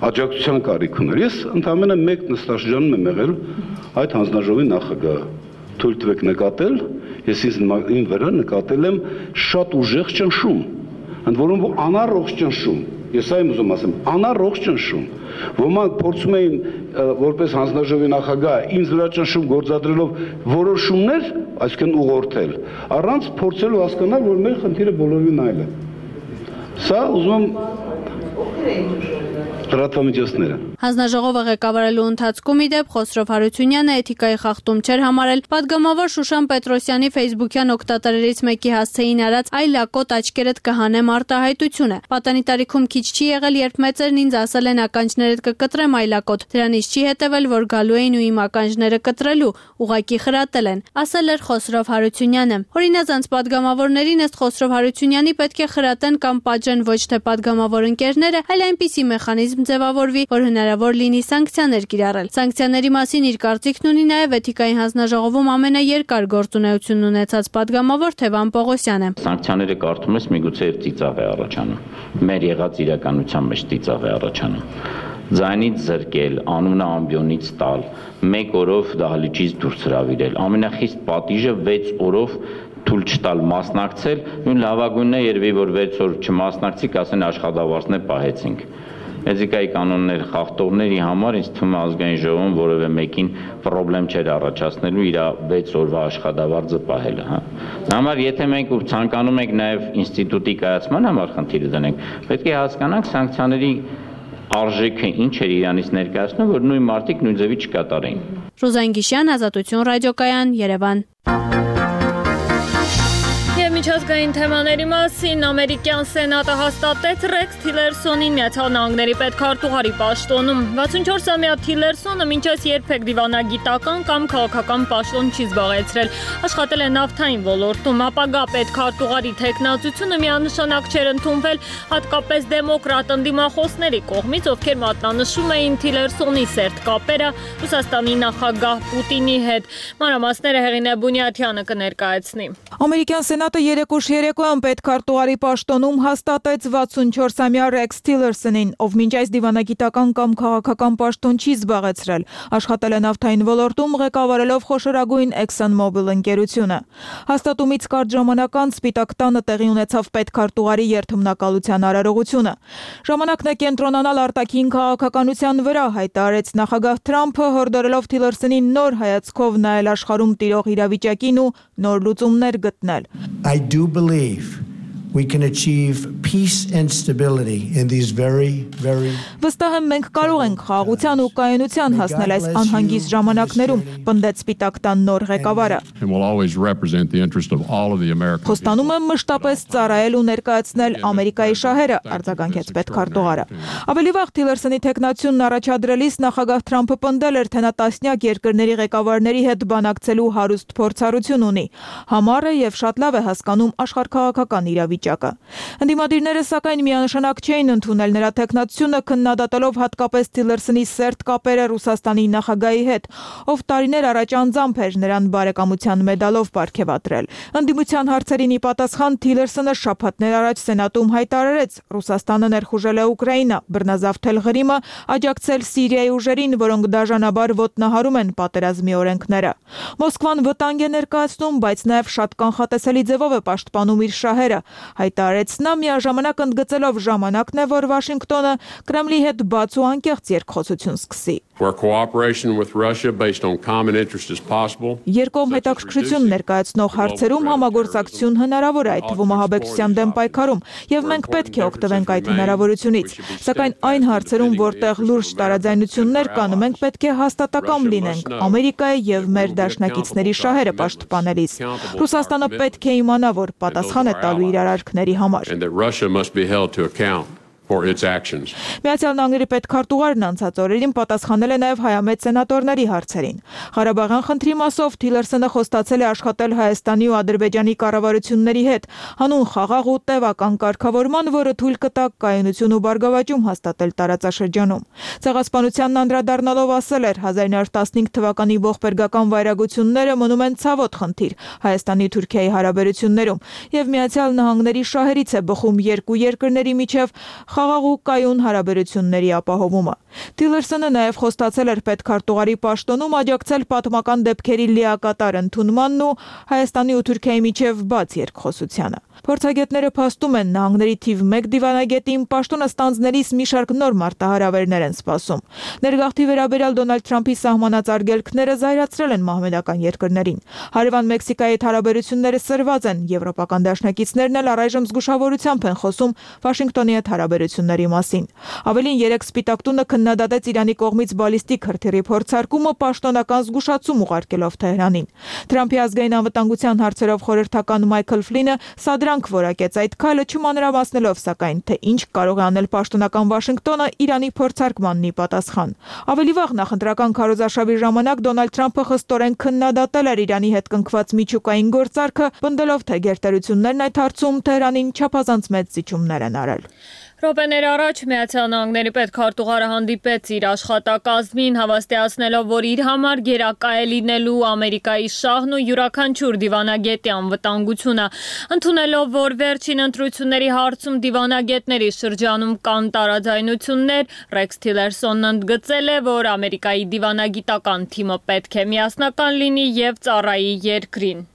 Y: աջակցության կարիք ուներ։ Ես ընդամենը մեկ նստաշրջանում եմ եղել այդ հանձնաժողովի նախագահը։ Թույլ տվեք նկատել, ես ինձ վրա նկատել եմ շատ ուժեղ ճնշում, ընդ որում անառողջ ճնշում։ Ես այն ուզում ասեմ, անառողջ ճնշում։ Ոմանք փորձում էին որպես հանձնաժողովի նախագահ ինձ վրա ճնշում գործադրելով որոշումներ, այսինքն ուղղորդել, առանց փորձելու հասկանալ, որ մեր խնդիրը բոլորովին այլ է։ Սա ուզում եմ լրատվամիջոցները։
P: Հանձնաժողովը ղեկավարելու ընթացքում իդեպ Խոսրով Հարությունյանը էթիկայի խախտում չէր համարել։ Պատգամավոր Շուշան Պետրոսյանի Facebook-յան օգտատերերից մեկի հասցեին արած «Այ լակոտ աչքերդ կհանեմ» արտահայտությունը։ Պատանի տարիքում քիչ չի եղել, երբ մեծերն ինձ ասել են ականջներդ կկտրեմ այ լակոտ։ Դրանից չի հետևել, որ գալու էին ու իմ ականջները կտրելու, ուղակի խրատել են, ասել էր Խոսրով Հարությունյանը։ Օրինազանց պատգամավորներին ըստ Խոսրով Հարությունյանի պետք է խրատեն կամ պատժեն ոչ թե պատգամավոր ընկերները, այլ այնպիսի մեխանիզմ ձևավորվի, որ հնարավոր լինի սանկցիաներ կիրառել։ Սանկցիաների մասին իր կարծիքն ունի նաև էթիկայի հանձնաժողովում ամենաերկար գործունեությունն ունեցած падգամավոր Թևան Պողոսյանը։
Z: Սանկցիաները կարդում ես միգուցե ծիծաղ է առաջանում։ Մեր եղած իրականության մեջ ծիծաղ է առաջանում։ Ձայնից զրկել, անունը ամբիոնից տալ, 1 օրով դահլիճից դուրս հրավիրել, ամենախիստ պատիժը 6 օրով թույլ չտալ մասնակցել, նույն լավագույնն է երևի որ 6 օր չմասնակցի, կասեն աշխատավարձներ պահեցինք։ Էթիկայի կանոններ խախտողների համար ինձ թվում է ազգային ժողովում որևէ մեկին խնդրեմ չէր առաջացնելու իր 6 օրվա աշխատավարձը պահելը, հա։ Համար եթե մենք ցանկանում ենք նաև ինստիտուտի կայացման համար խնդիրը դնենք, պետք է հասկանանք սանկցիաների արժեքը ինչ էր իրանից ներկայացնում, որ նույն մարդիկ նույն ձևի չկատարեին։
P: Ռուզան Գիշյան, Ազատություն ռադիոկայան, Երևան։
A: Եվ միջազգային թեմաների մասին ամերիկյան սենատը հաստատեց Ռեքս Թիլերսոնին Միացյալ Նահանգների պետքարտուղարի պաշտոնում։ 64-ամյա Թիլերսոնը մինչև երբեք դիվանագիտական կամ քաղաքական պաշտոն չի զբաղեցրել, աշխատել է նավթային ոլորտում, ապագա պետքարտուղարի թեկնածությունը միանշանակ չէր ընդունվել հատկապես դեմոկրատ ընդդիմախոսների կողմից, ովքեր մատնանշում էին Թիլերսոնի սերտ կապերը Ռուսաստանի նախագահ Պուտինի հետ։ Մանրամասները Հեղինե Բունյաթյանը կներկայացնի։
B: Ամերիկյան սենատը երեկոш երեկոյան պետքարտուղարի պաշտոնում հաստատեց 64-ամյա Ռեքս Թիլերսոնին, ով մինչ այս դիվանագիտական կամ քաղաքական պաշտոն չի զբաղեցրել, աշխատել է նավթային ոլորտում, ղեկավարելով խոշորագույն ExxonMobil ընկերությունը։ Հաստատումից կարճ ժամանակ անց Սպիտակ տանը տեղի ունեցավ պետքարտուղարի երթմնակալության արարողությունը։ Ժամանակն է կենտրոնանալ արտաքին քաղաքականության վրա, հայտարարեց նախագահ Թրամփը, հորդորելով Թիլերսոնին նոր հայացքով նայել աշխարհում տիրող իրավիճակին ու նոր լուծումներ գտնել։
G: I do believe we can achieve peace and stability in these very
B: Վստահ եմ մենք կարող ենք խաղաղության ու կայունության հասնել այս անհանգիստ ժամանակներում, պնդեց Սպիտակ տան նոր ղեկավարը։ Խոստանում եմ մշտապես ծառայել ու ներկայացնել Ամերիկայի շահերը, արձագանքեց պետքարտուղարը։ Ավելի վաղ Թիլերսոնի թեկնածությունն առաջադրելիս նախագահ Թրամփը պնդել էր, թե նա տասնյակ երկրների ղեկավարների հետ բանակցելու հարուստ փորձառություն ունի, համառ է եւ շատ լավ է հասկանում աշխարհքաղաքական իրավիճակը։ Ընդդիմադիրները սակայն միանշանակ չէին ընդունել նրա թեկնածությունը, քննադատելով հատկապես Թիլերսոնի սերտ կապերը Ռուսաստանի նախագահի հետ, ով տարիներ առաջ անձամբ էր նրան բարեկամության մեդալով պարգևատրել։ Ընդդիմության հարցերին ի պատասխան Թիլերսոնը շաբաթներ առաջ Սենատում հայտարարեց. Ռուսաստանը ներխուժել է Ուկրաինա, բռնազավթել Ղրիմը, աջակցել Սիրիայի ուժերին, որոնք դաժանաբար ոտնահարում են պատերազմի օրենքները։ Մոսկվան վտանգ է ներկայացնում, բայց նաև շատ կանխատեսելի ձևով է պաշտպանում իր շահերը, հայտարարեց նա, միաժամանակ ընդգծելով ժամանակն է, որ Վաշինգտոնը Կրեմլի հետ բաց ու անկեղծ երկխոսություն սկսի։ Երկկողմ հետաքրքրություն ներկայացնող հարցերում համագործակցություն հնարավոր է, այդ թվում ահաբեկչության դեմ պայքարում, եւ մենք պետք է օգտվենք այդ հնարավորությունից։ Սակայն այն հարցերում, որտեղ լուրջ տարաձայնություններ կան, մենք պետք է հաստատակամ լինենք Ամերիկայի եւ մեր դաշնակիցների շահերը պաշտպանելիս։ Ռուսաստանը պետք է իմանա, որ պատասխան է տալու իր արարքների համար։ Միացյալ Նահանգների պետքարտուղարն անցած օրերին պատասխանել է նաև հայամետ սենատորների հարցերին։ Ղարաբաղյան խնդրի մասով Թիլերսոնը խոստացել է աշխատել Հայաստանի ու Ադրբեջանի կառավարությունների հետ, հանուն խաղաղ ու տևական կարգավորման, որը թույլ կտա կայունություն ու բարգավաճում հաստատել տարածաշրջանում։ Ցեղասպանությանն անդրադառնալով ասել էր 1915 թվականի ողբերգական վայրագությունները մնում են ցավոտ խնդիր Հայաստանի ու Թուրքիայի հարաբերություններում, եւ Միացյալ Նահանգների շահերից է բխում երկու երկրների միջև խաղաղ ու կայուն հարաբերությունների ապահովումը։ Թիլերսոնը նաև խոստացել էր պետքարտուղարի պաշտոնում աջակցել պատմական դեպքերի լիակատար ընդունմանն ու Հայաստանի ու Թուրքիայի միջև բաց երկխոսությանը։ Փորձագետները փաստում են նահանգների թիվ 1 դիվանագետին պաշտոնը ստանձնելիս մի շարք նոր մարտահրավերներ են սպասում։ Ներգաղթի վերաբերյալ Դոնալդ Թրամփի սահմանած արգելքները զայրացրել են մահմեդական երկրներին։ Հարևան Մեքսիկայի հետ հարաբերությունները սրված են, եվրոպական դաշնակիցներն էլ առայժմ զգուշավորությամբ են խոսում Վաշինգտոնի հետ հարաբերությունների մասին։ Ավելին 3 Սպիտակ տունը քննադատեց Իրանի կողմից բալիստիկ հրթիռի փորձարկումը պաշտոնական զգուշացում ուղարկելով Թեհրանին։ Թրամփի ազգային անվտանգության հարցերով խորհրդական Մայքլ Ֆլինը սադրանք որակեց այդ քայլը, չմանրամասնելով սակայն, թե ինչ կարող է անել պաշտոնական Վաշինգտոնը Իրանի փորձարկմանն ի պատասխան։ Ավելի վաղ նախընտրական քարոզարշավի ժամանակ Դոնալդ Թրամփը խստորեն քննադատել էր Իրանի հետ կնքված միջուկային գործարքը, պնդելով, թե գերտերություններն այդ հարցում Թեհրանին չափազանց մեծ զիջումներ են արել։
A: Րոպեներ առաջ Միացյալ Նահանգների պետքարտուղարը հանդիպեց իր աշխատակազմին, հավաստիացնելով, որ իր համար գերակա է լինելու Ամերիկայի շահն ու յուրաքանչյուր դիվանագետի անվտանգությունը, ընդունելով, որ վերջին ընտրությունների հարցում դիվանագետների շրջանում կան տարաձայնություններ, Ռեքս Թիլերսոնն ընդգծել է, որ Ամերիկայի դիվանագիտական թիմը պետք է միասնական լինի եւ ծառայի երկրին։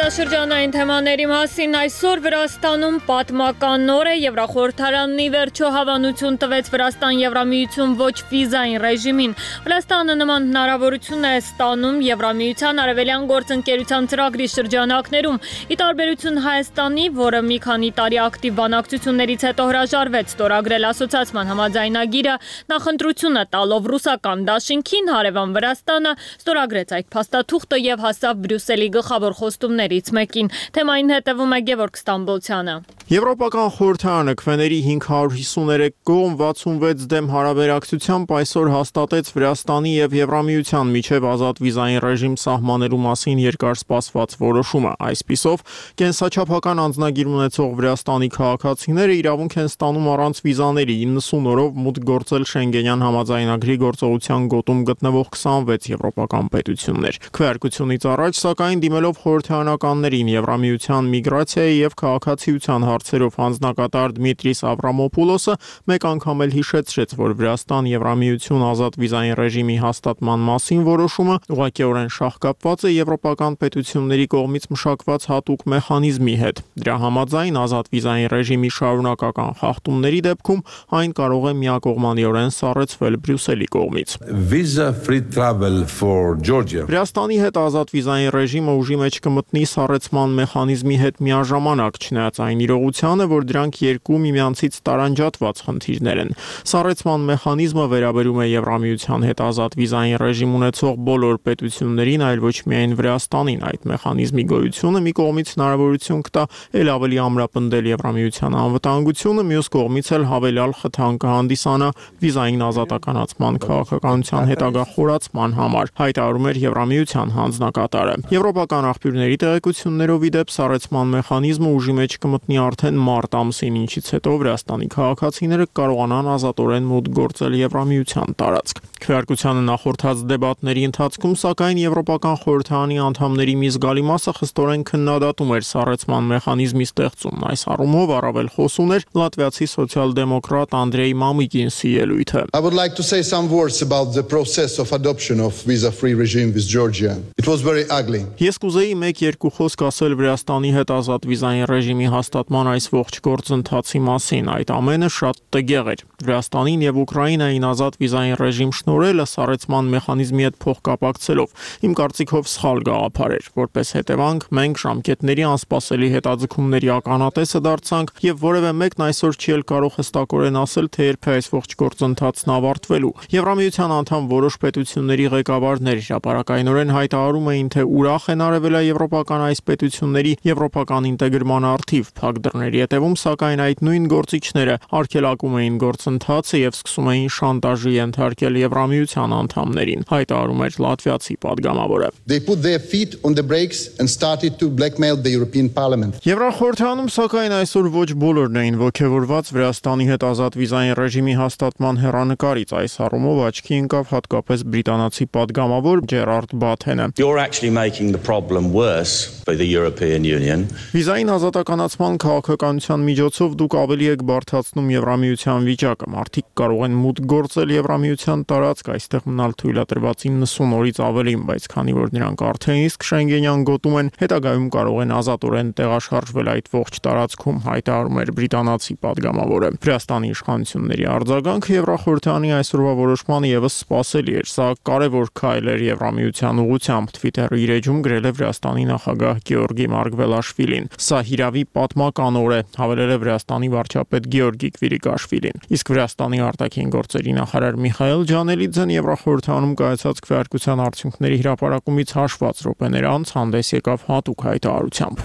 A: Զբոսաշրջանային թեմաների մասին այսօր Վրաստանում պատմական օր է, Եվրախորհրդարանն ի վերջո հավանություն տվեց Վրաստան-Եվրամիություն ոչ վիզային ռեժիմին։ Վրաստանը նման հնարավորություն է ստանում Եվրամիության արևելյան գործընկերության ծրագրի շրջանակներում, ի տարբերություն Հայաստանի, որը մի քանի տարի ակտիվ բանակցություններից հետո հրաժարվեց ստորագրել ասոցիացիան համաձայնագիրը, նախընտրությունը տալով ռուսական դաշինքին, հարևան Վրաստանը ստորագրեց այդ փաստաթուղթը եւ հասավ Բրյուսելի գլխավոր խոստումներից մեկին։ Թեմային հետևում է Գևորգ Ստամբոլցյանը։
H: Եվրոպական խորհրդարանը քվեների 553 կողմ 66 դեմ հարաբերակցությամբ այսօր հաստատեց Վրաստանի եւ Եվրամիության միջև ազատ վիզային ռեժիմ սահմանելու մասին երկար սպասված որոշումը։ Այսպիսով, կենսաչափական անձնագիր ունեցող Վրաստանի քաղաքացիները իրավունք են ստանում առանց վիզաների 90 օրով մուտք գործել Շենգենյան համաձայնագրի գործողության գոտում գտնվող 26 եվրոպական պետություններ։ Քվեարկությունից առաջ, սակայն, դիմելով խորհրդարանականներին Եվրամիության միգրացիայի եւ քաղաքացիության հարցերով հանձնակատար Դմիտրիս Ավրամոպուլոսը մեկ անգամ էլ հիշեցրեց, որ Վրաստան-Եվրամիություն ազատ վիզային ռեժիմի հաստատման մասին որոշումը ուղղակիորեն շահկապված է եվրոպական պետությունների կողմից մշակված հատուկ մեխանիզմի հետ։ Դրա համաձայն ազատ վիզային ռեժիմի շարունակական խախտումների դեպքում այն կարող է միակողմանիորեն սառեցվել Բրյուսելի կողմից։
I: Visa-free travel for Georgia.
H: Վրաստանի հետ ազատ վիզային ռեժիմը ուժի մեջ կմտնի սառեցման մեխանիզմի հետ միաժամանակ, չնայած այն իրողությանը, որ դրանք երկու միմյանցից տարանջատված խնդիրներ են։ Սառեցման մեխանիզմը վերաբերում է Եվրամիության հետ ազատ վիզային ռեժիմ ունեցող բոլոր պետություններին, այլ ոչ միայն Վրաստանին։ Այդ մեխանիզմի գոյությունը մի կողմից հնարավորություն կտա ել ավելի ամրապնդել Եվրամիության անվտանգությունը, մյուս կողմից էլ հավելյալ խթան կհանդիսանա վիզային ազատականացման քաղաքականության հետագա խորացման համար, հայտարարում էր Եվրամիության հանձնակատարը։ Եվրոպական աղբյուրների տեղեկություններով ի դեպ սառեցման մեխանիզմը ուժի մեջ կմտնի արդեն մարտ ամսին, ինչից հետո Վրաստանի քաղաքացիները կարողանան ազատորեն մուտք գործել Եվրամիության տարածք։ Քվեարկությանը նախորդած դեբատների ընթացքում, սակայն Եվրոպական խորհրդարանի անդամների մի զգալի մասը խստորեն քննադատում էր սառեցման մեխանիզմի ստեղծումն։ Այս առումով առավել խոսուն էր լատվիացի սոցիալ-դեմոկրատ Անդրեյ Մամիկինսի ելույթը։
J: I would like to say some words about the process of adoption of visa-free regime with Georgia. It was very ugly.
H: Ես կուզեի 1-2 խոսք ասել Վրաստանի հետ ազատ վիզային ռեժիմի հաստատման այս ողջ գործընթացի մասին։ Այդ ամենը շատ տգեղ էր։ Վրաստանին եւ Ուկրաինային ազատ վիզային ռեժիմ շնորհելը սառեցման մեխանիզմի հետ փոխկապակցելով իմ կարծիքով սխալ գաղափար էր։ Որպես հետևանք, մենք ժամկետների անսպասելի հետաձգումների ականատեսը դարձանք եւ որևէ մեկն այսօր չի էլ կարող հստակորեն ասել, թե երբ է այս ողջ գործընթացն ավարտվելու։ Եվրամիության անդամ որոշ պետությունների ղեկավարներ հրապարակայնորեն հայտարարում էին, թե ուրախ են արևելաեվրոպական այս պետությունների եվրոպական ինտեգրման առթիվ փակ դռների հետևում, սակայն այդ նույն գործիչները արգելակում էին գործընթացը եւ սկսում էին շանտաժի ենթարկել Եվրամիության անդամներին, հայտարարում էր լատվիացի падգամավորը։
J: They put their feet on the brakes and started to blackmail the European Parliament.
H: Եվրախորհրդարանում սակայն այսօր ոչ բոլորն էին ողջևորված Վրաստանի հետ ազատ վիզային ռեժիմի հաստատման հեռանկարից։ Այս առումով աչքի ընկավ հատկապես բրիտանացի падգամավոր Ջերարդ Բաթենը։
K: You're actually making the problem worse for the European Union.
H: Վիզային ազատականացման քաղաքականության միջոցով դուք ավելի եք բարդացնում Եվրամիության վիճակը։ Մարդիկ կարող են մուտք գործել Եվրամիության տարածք, այստեղ մնալ թույլատրված 90 օրից ավելին, բայց քանի որ նրանք արդեն իսկ Շենգենյան գոտում են, հետագայում կարող են ազատորեն տեղաշարժվել այդ ողջ տարածքում, հայտարարում էր բրիտանացի падգամավորը։ Վրաստանի իշխանությունների արձագանքը Եվրախորհրդարանի այսօրվա որոշմանը եւս սպասելի էր։ Սա կարևոր քայլ էր Եվրամիության ուղղությամբ, Twitter-ի իր էջում գրել է Վրաստանի նախագահ Գեորգի Մարգվելաշվիլին։ Սա հիրավի պատմական օր է, հավելել է Վրաստանի վարչապետ Գեորգի Կվիրիկաշվիլին։ Իսկ Վրաստանի արտաքին գործերի նախարար Միխայել Ջանելիձեն Եվրախորհրդարանում կայացած քվեարկության արդյունքների հրապարակումից հաշված րոպեներ անց հանդես եկավ հատուկ հայտարարությամբ։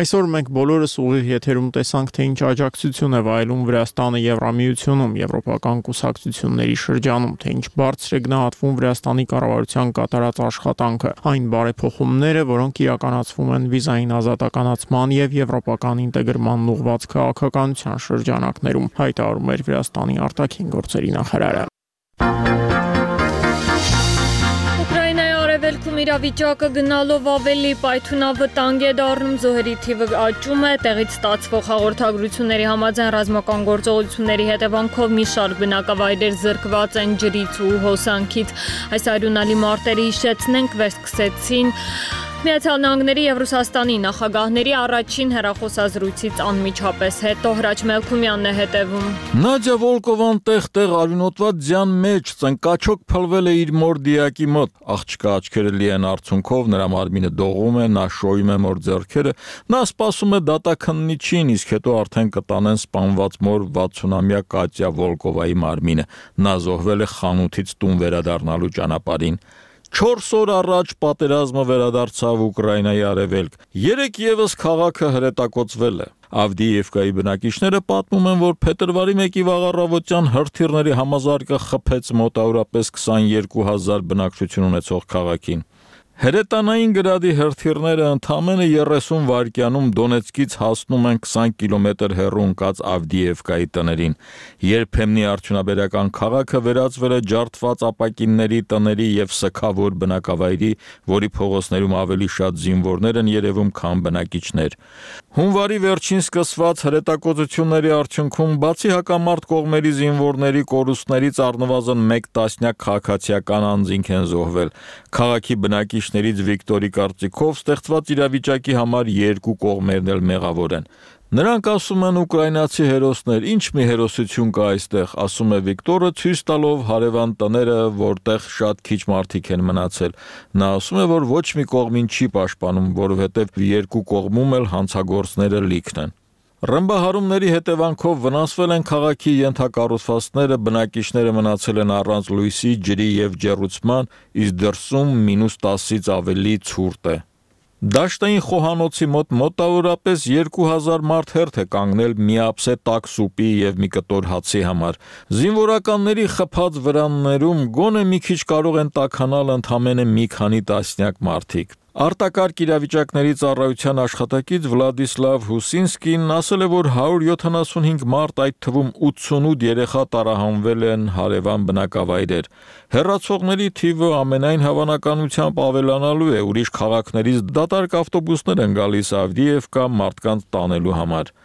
H: Այսօր մենք բոլորս ուղիղ եթերում տեսանք, թե ինչ աջակցություն է վայելում Վրաստանը Եվրամիությունում, եվրոպական կուսակցությունների շրջանում, թե ինչ բարձր է գնահատվում Վրաստանի կառավարության կատարած աշխատանքը, այն բարեփոխումները, որոնք իրականացվում են վիզային ազատականացման եւ եվրոպական ինտեգրման ուղղված քաղաքականության շրջանակներում, հայտարարում էր Վրաստանի արտաքին գործերի նախարարը։
A: Արևելքում իրավիճակը գնալով ավելի պայթունավտանգ է դառնում, զոհերի թիվը աճում է, տեղից ստացվող հաղորդագրությունների համաձայն ռազմական գործողությունների հետևանքով մի շարք բնակավայրեր զրկված են ջրից ու հոսանքից։ Այս արյունալի մարտերը հիշեցնենք վերսկսեցին Միացյալ Նահանգների եւ Ռուսաստանի նախագահների առաջին հեռախոսազրույցից անմիջապես հետո Հրաչ Մելքումյանն է հետևում։
M: Նադյա Վոլկովան տեղ-տեղ արյունոտված ձյան մեջ ծնկաչոք փլվել է իր մոր դիակի մոտ։ Աղջկա աչքերը լի են արցունքով, նրա մարմինը դողում է, նա շոյում է մոր ձեռքերը, նա սպասում է դատաքննիչին, իսկ հետո արդեն կտանեն սպանված մոր 60-ամյա Կատյա Վոլկովայի մարմինը։ Նա զոհվել է խանութից տուն վերադառնալու ճանապարհին։ 4 օր առաջ պատերազմը վերադարձավ Ուկրաինայի արևելք։ 3 եւս քաղաքը հրետակոծվել է։ Ավդիևկայի բնակիչները պատմում են, որ փետրվարի 1-ի վաղառավոտյան հրթիռների համազարգը խփեց մոտավորապես 22,000 բնակչություն ունեցող քաղաքին։ Հրետանային գրադի հրթիռները ընդամենը 30 վայրկյանում Դոնեցկից հասնում են 20 կիլոմետր հեռու ընկած Ավդիևկայի տներին։ Երբեմնի արդյունաբերական քաղաքը վերածվել է ջարդված ապակինների, տների եւ սգավոր բնակավայրի, որի փողոցներում ավելի շատ զինվորներ են երևում, քան բնակիչներ։ Հունվարի վերջին սկսված հրետակոծությունների արդյունքում բացի հակամարտ կողմերի զինվորների կորուստներից առնվազն 1 տասնյակ քաղաքացիական անձինք են զոհվել։ Քաղաքի բնակիչներից Վիկտորի կարծիքով ստեղծված իրավիճակի համար երկու կողմերն էլ մեղավոր են։ Նրանք ասում են ուկրաինացի հերոսներ, ինչ մի հերոսություն կա այստեղ, ասում է Վիկտորը, ցույց տալով հարևան տները, որտեղ շատ քիչ մարդիկ են մնացել։ Նա ասում է, որ ոչ մի կողմին չի պաշտպանում, որովհետև երկու կողմում էլ հանցագործները լիքն են։ Ռմբահարումների հետևանքով վնասվել են քաղաքի ենթակառուցվածքները, բնակիչները մնացել են առանց լույսի, ջրի եւ ջեռուցման, իսկ դրսում -10-ից ավելի ցուրտ է։ Դաշտային խոհանոցի մոտ մոտավորապես 2000 մարդ հերթ է կանգնել միապսե տաք սուպի եւ մի կտոր հացի համար։ Զինվորականների խփած վրաններում գոնե մի քիչ կարող են տաքանալ ընդամենը մի քանի տասնյակ մարդիկ։ Արտակարգ իրավիճակների ծառայության աշխատակից Վլադիսլավ Հուսինսկին ասել է, որ 175 մարդ, այդ թվում 88 երեխա տարահանվել են հարևան բնակավայրեր։ Հեռացողների թիվը ամենայն հավանականությամբ ավելանալու է, ուրիշ քաղաքներից դատարկ ավտոբուսներ են գալիս Ավդիևկա մարդկանց տանելու համար։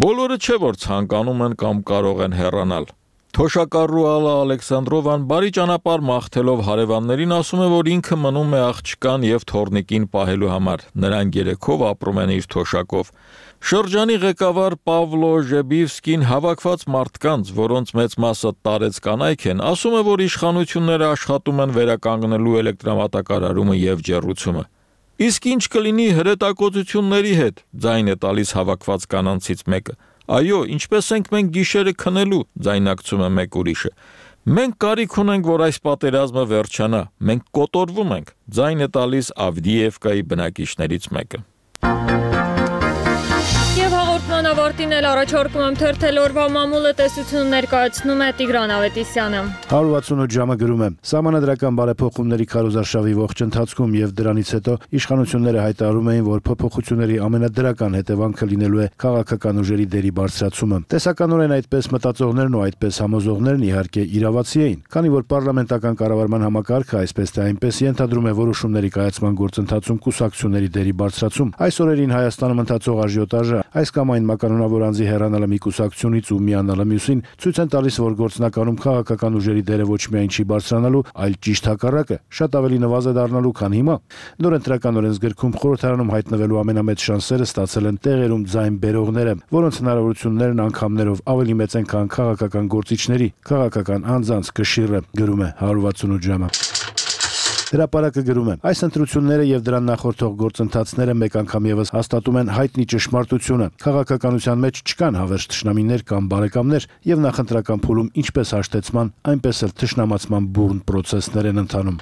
M: Բոլորը չէ, որ ցանկանում են կամ կարող են հեռանալ։ Թոշակառու Ալա Ալեքսանդրովան բարի ճանապարհ մաղթելով հարևաններին ասում է, որ ինքը մնում է աղջկան եւ թորնիկին պահելու համար։ Նրանք երեքով ապրում են իր թոշակով։ Շրջանի ղեկավար Պավլո Ժեբիվսկին հավաքված մարդկանց, որոնց մեծ մասը տարեց կանայք են, ասում է, որ իշխանությունները աշխատում են վերականգնելու էլեկտրամատակարարումը եւ ջեռուցումը։ Իսկ ինչ կլինի հրետակոծությունների հետ, ձայն է տալիս հավաքված կանանցից մեկը։ Այո, ինչպես ենք մենք գիշերը քնելու, ձայնակցում է մեկ ուրիշը։ Մենք կարիք ունենք, որ այս պատերազմը վերջանա, մենք կոտորվում ենք, ձայն է տալիս Ավդիևկայի բնակիչներից մեկը։
A: Եվ հաղորդման ավարտին էլ առաջարկում եմ թերթել օրվա մամուլը տեսություն ներկայացնում է Տիգրան Ավետիսյանը։
N: 168 ժամը գրում է. Սահմանադրական բարեփոխումների քարոզարշավի ողջ ընթացքում եւ դրանից հետո իշխանությունները հայտարարում էին, որ փոփոխությունների ամենադրական հետևանքը լինելու է քաղաքական ուժերի դերի բարձրացումը։ Տեսականորեն այդպես մտածողներն ու այդպես համոզողներն իհարկե իրավացի էին, քանի որ պարլամենտական կառավարման համակարգը այսպես թե այնպես ենթադրում է որոշումների կայացման գործընթացում կուսակցությունների դերի բարձրացում։ Այս օրերին Հայաստանում ընթացող աժիոտաժը այս կամ այն մականունավոր անձի հեռանալը մի կուսակցությունից ու միանալը մյուսին ցույց են տալիս, որ գործնականում քաղաքական ուժերի դերը ոչ միայն չի բարձրանալու, այլ ճիշտ հակառակը, շատ ավելի նվազ է դառնալու, քան հիմա։ Նոր ընտրական օրենսգրքում խորհրդարանում հայտնվելու ամենամեծ շանսերը ստացել են տեղերում ձայն բերողները, որոնց հնարավորություններն անգամներով ավելի մեծ են, քան քաղաքական գործիչների, քաղաքական անձանց կշիռը, գրում է 168 ժամը։ Հրապարակը գրում է. այս ընտրությունները եւ դրան նախորդող գործընթացները մեկ անգամ եւս հաստատում են հայտնի ճշմարտությունը։ Քաղաքականության մեջ չկան հավերժ թշնամիներ կամ բարեկամներ եւ նախընտրական փուլում ինչպես հաշտեցման, այնպես էլ թշնամացման բուրն պրոցեսներ են ընթանում։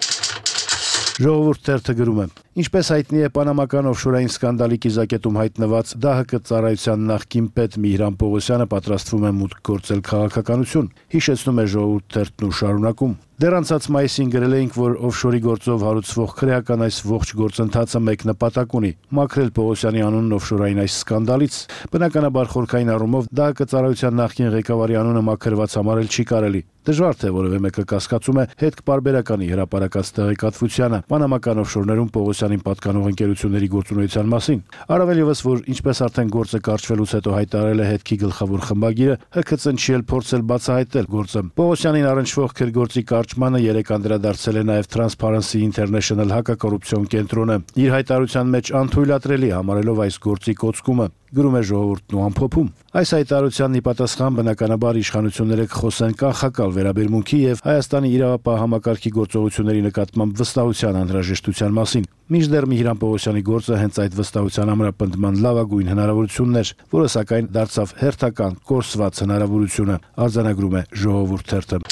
N: Ժողովուրդ թերթը գրում է. Ինչպես հայտնի է պանամական օֆշորային սկանդալի կիզակետում հայտնված ԴՀԿ ծառայության նախկին պետ Միհրան Պողոսյանը պատրաստվում է մուտք գործել քաղաքականություն, հիշեցնում է ժողովուրդ թերթն ու շարունակում։ Դեռ անցած մայիսին գրել էինք, որ օֆշորի գործով հարուցվող քրեական այս ողջ գործընթացը մեկ նպատակ ունի՝ մաքրել Պողոսյանի անունն օֆշորային այս սկանդալից։ Բնականաբար խորքային առումով ԴՀԿ ծառայության նախկին ղեկավարի անունը մաքրված համարել չի կարելի։ Դժվար թե որևէ մեկը կասկածում է հետքպարբերականի հրապարակած տեղեկատվությանը պանամական օֆշորներում Պողոսյանին պատկանող ընկերությունների գործունեության մասին։ Առավել ևս, որ ինչպես արդեն գործը կարճվելուց հետո հայտարարել է հետքի գլխավոր խմբագիրը, ՀՔՑ-ն չի էլ փորձել բացահայտել գործը։ Պողոսյանին առնչվող քրգործի կարճմանը երեք անդրադարձել է նաև Transparency International հակակոռուպցիոն կենտրոնը, իր հայտարարության մեջ անթույլատրելի համարելով այս գործի կոծկումը, գրում է Ժողովուրդն ու ամփոփում։ Այս հայտարարությանն ի պատասխան բնականաբար իշխանությունները կխոսեն կանխակալ վերաբերմունքի եւ Հայաստանի իրավապահ համակարգի գործողությունների նկատմամբ վստահության անհրաժեշտության մասին։ Մինչդեռ Միհրան Պողոսյանի գործը հենց այդ վստահության ամրապնդման լավագույն հնարավորությունն էր, որը սակայն դարձավ հերթական կորսված հնարավորությունը, արձանագրում է Ժողովուրդ թերթը։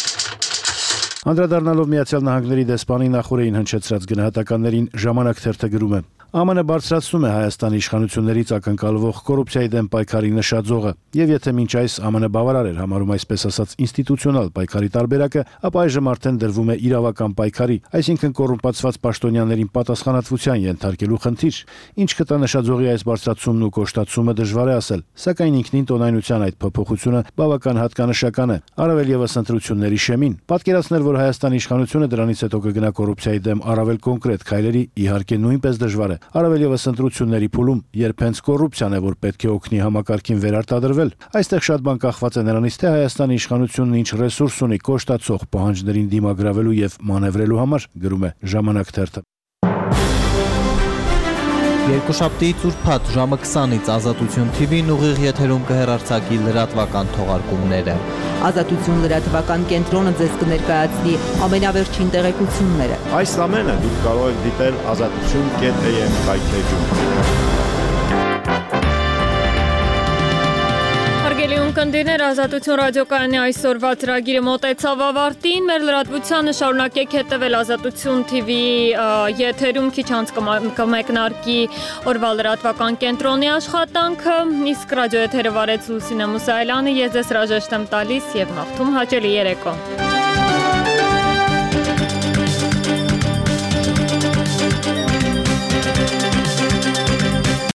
N: Անդրադառնալով Միացյալ Նահանգների դեսպանի նախորդին հնչեցրած գնահատականներին Ժամանակ թերթը գրում է. ԱՄՆ բարձրացնում է Հայաստանի իշխանություններից ակնկալվող կոռուպցիայի դեմ պայքարի նշաձողը, եւ եթե մինչ այս ԱՄՆ բավարար էր համարում այսպես ասած ինստիտուցիոնալ պայքարի տարբերակը, ապա այժմ արդեն դրվում է իրավական պայքարի, այսինքն կոռումպացված պաշտոնյաներին պատասխանատվության ենթարկելու խնդիր։ Ինչ կտա նշաձողի այս բարձրացումն ու կոշտացումը դժվար է ասել, սակայն ինքնին տոնայնության այդ փոփոխությունը բավական հատկանշական է, առավել ևս ընտրությունների շեմին։ Պատկերացնել, որ Հայաստանի իշխանությունը դրանից հետո կգնա կոռուպցիայի դեմ առավել կոնկրետ քայլերի, իհարկե նույնպես դժվար է։ Առավել ևս ընտրությունների փուլում, երբ հենց կոռուպցիան է, որ պետք է օգնի համակարգին վերարտադրվել, այստեղ շատ բան կախված է նրանից, թե Հայաստանի իշխանությունն ինչ ռեսուրս ունի կոշտացող պահանջներին դիմագրավելու եւ մանևրելու համար, գրում է Ժամանակ թերթը։
O: Երկուշաբթիից ուրբաթ ժամը 20-ից Ազատություն TV-ն ուղիղ եթերում կհեռարձակի լրատվական թողարկումները։
Q: Ազատություն լրատվական կենտրոնը ձեզ կներկայացնի ամենավերջին տեղեկությունները։
R: Այս ամենը դուք կարող եք դիտել azatutun.am կայքեջում։
A: Հարգելի ունկնդիրներ, Ազատություն ռադիոկայանի այսօրվա ծրագիրը մոտեցավ ավարտին։ Մեր լրատվությանը շարունակեք հետևել Ազատություն TV-ի եթերում, քիչ անց կմեկնարկի օրվա լրատվական կենտրոնի աշխատանքը, իսկ ռադիոեթերը վարեց Լուսինե Մուսայելյանը, ես ձեզ հրաժեշտ եմ տալիս եւ մաղթում հաճելի երեկո։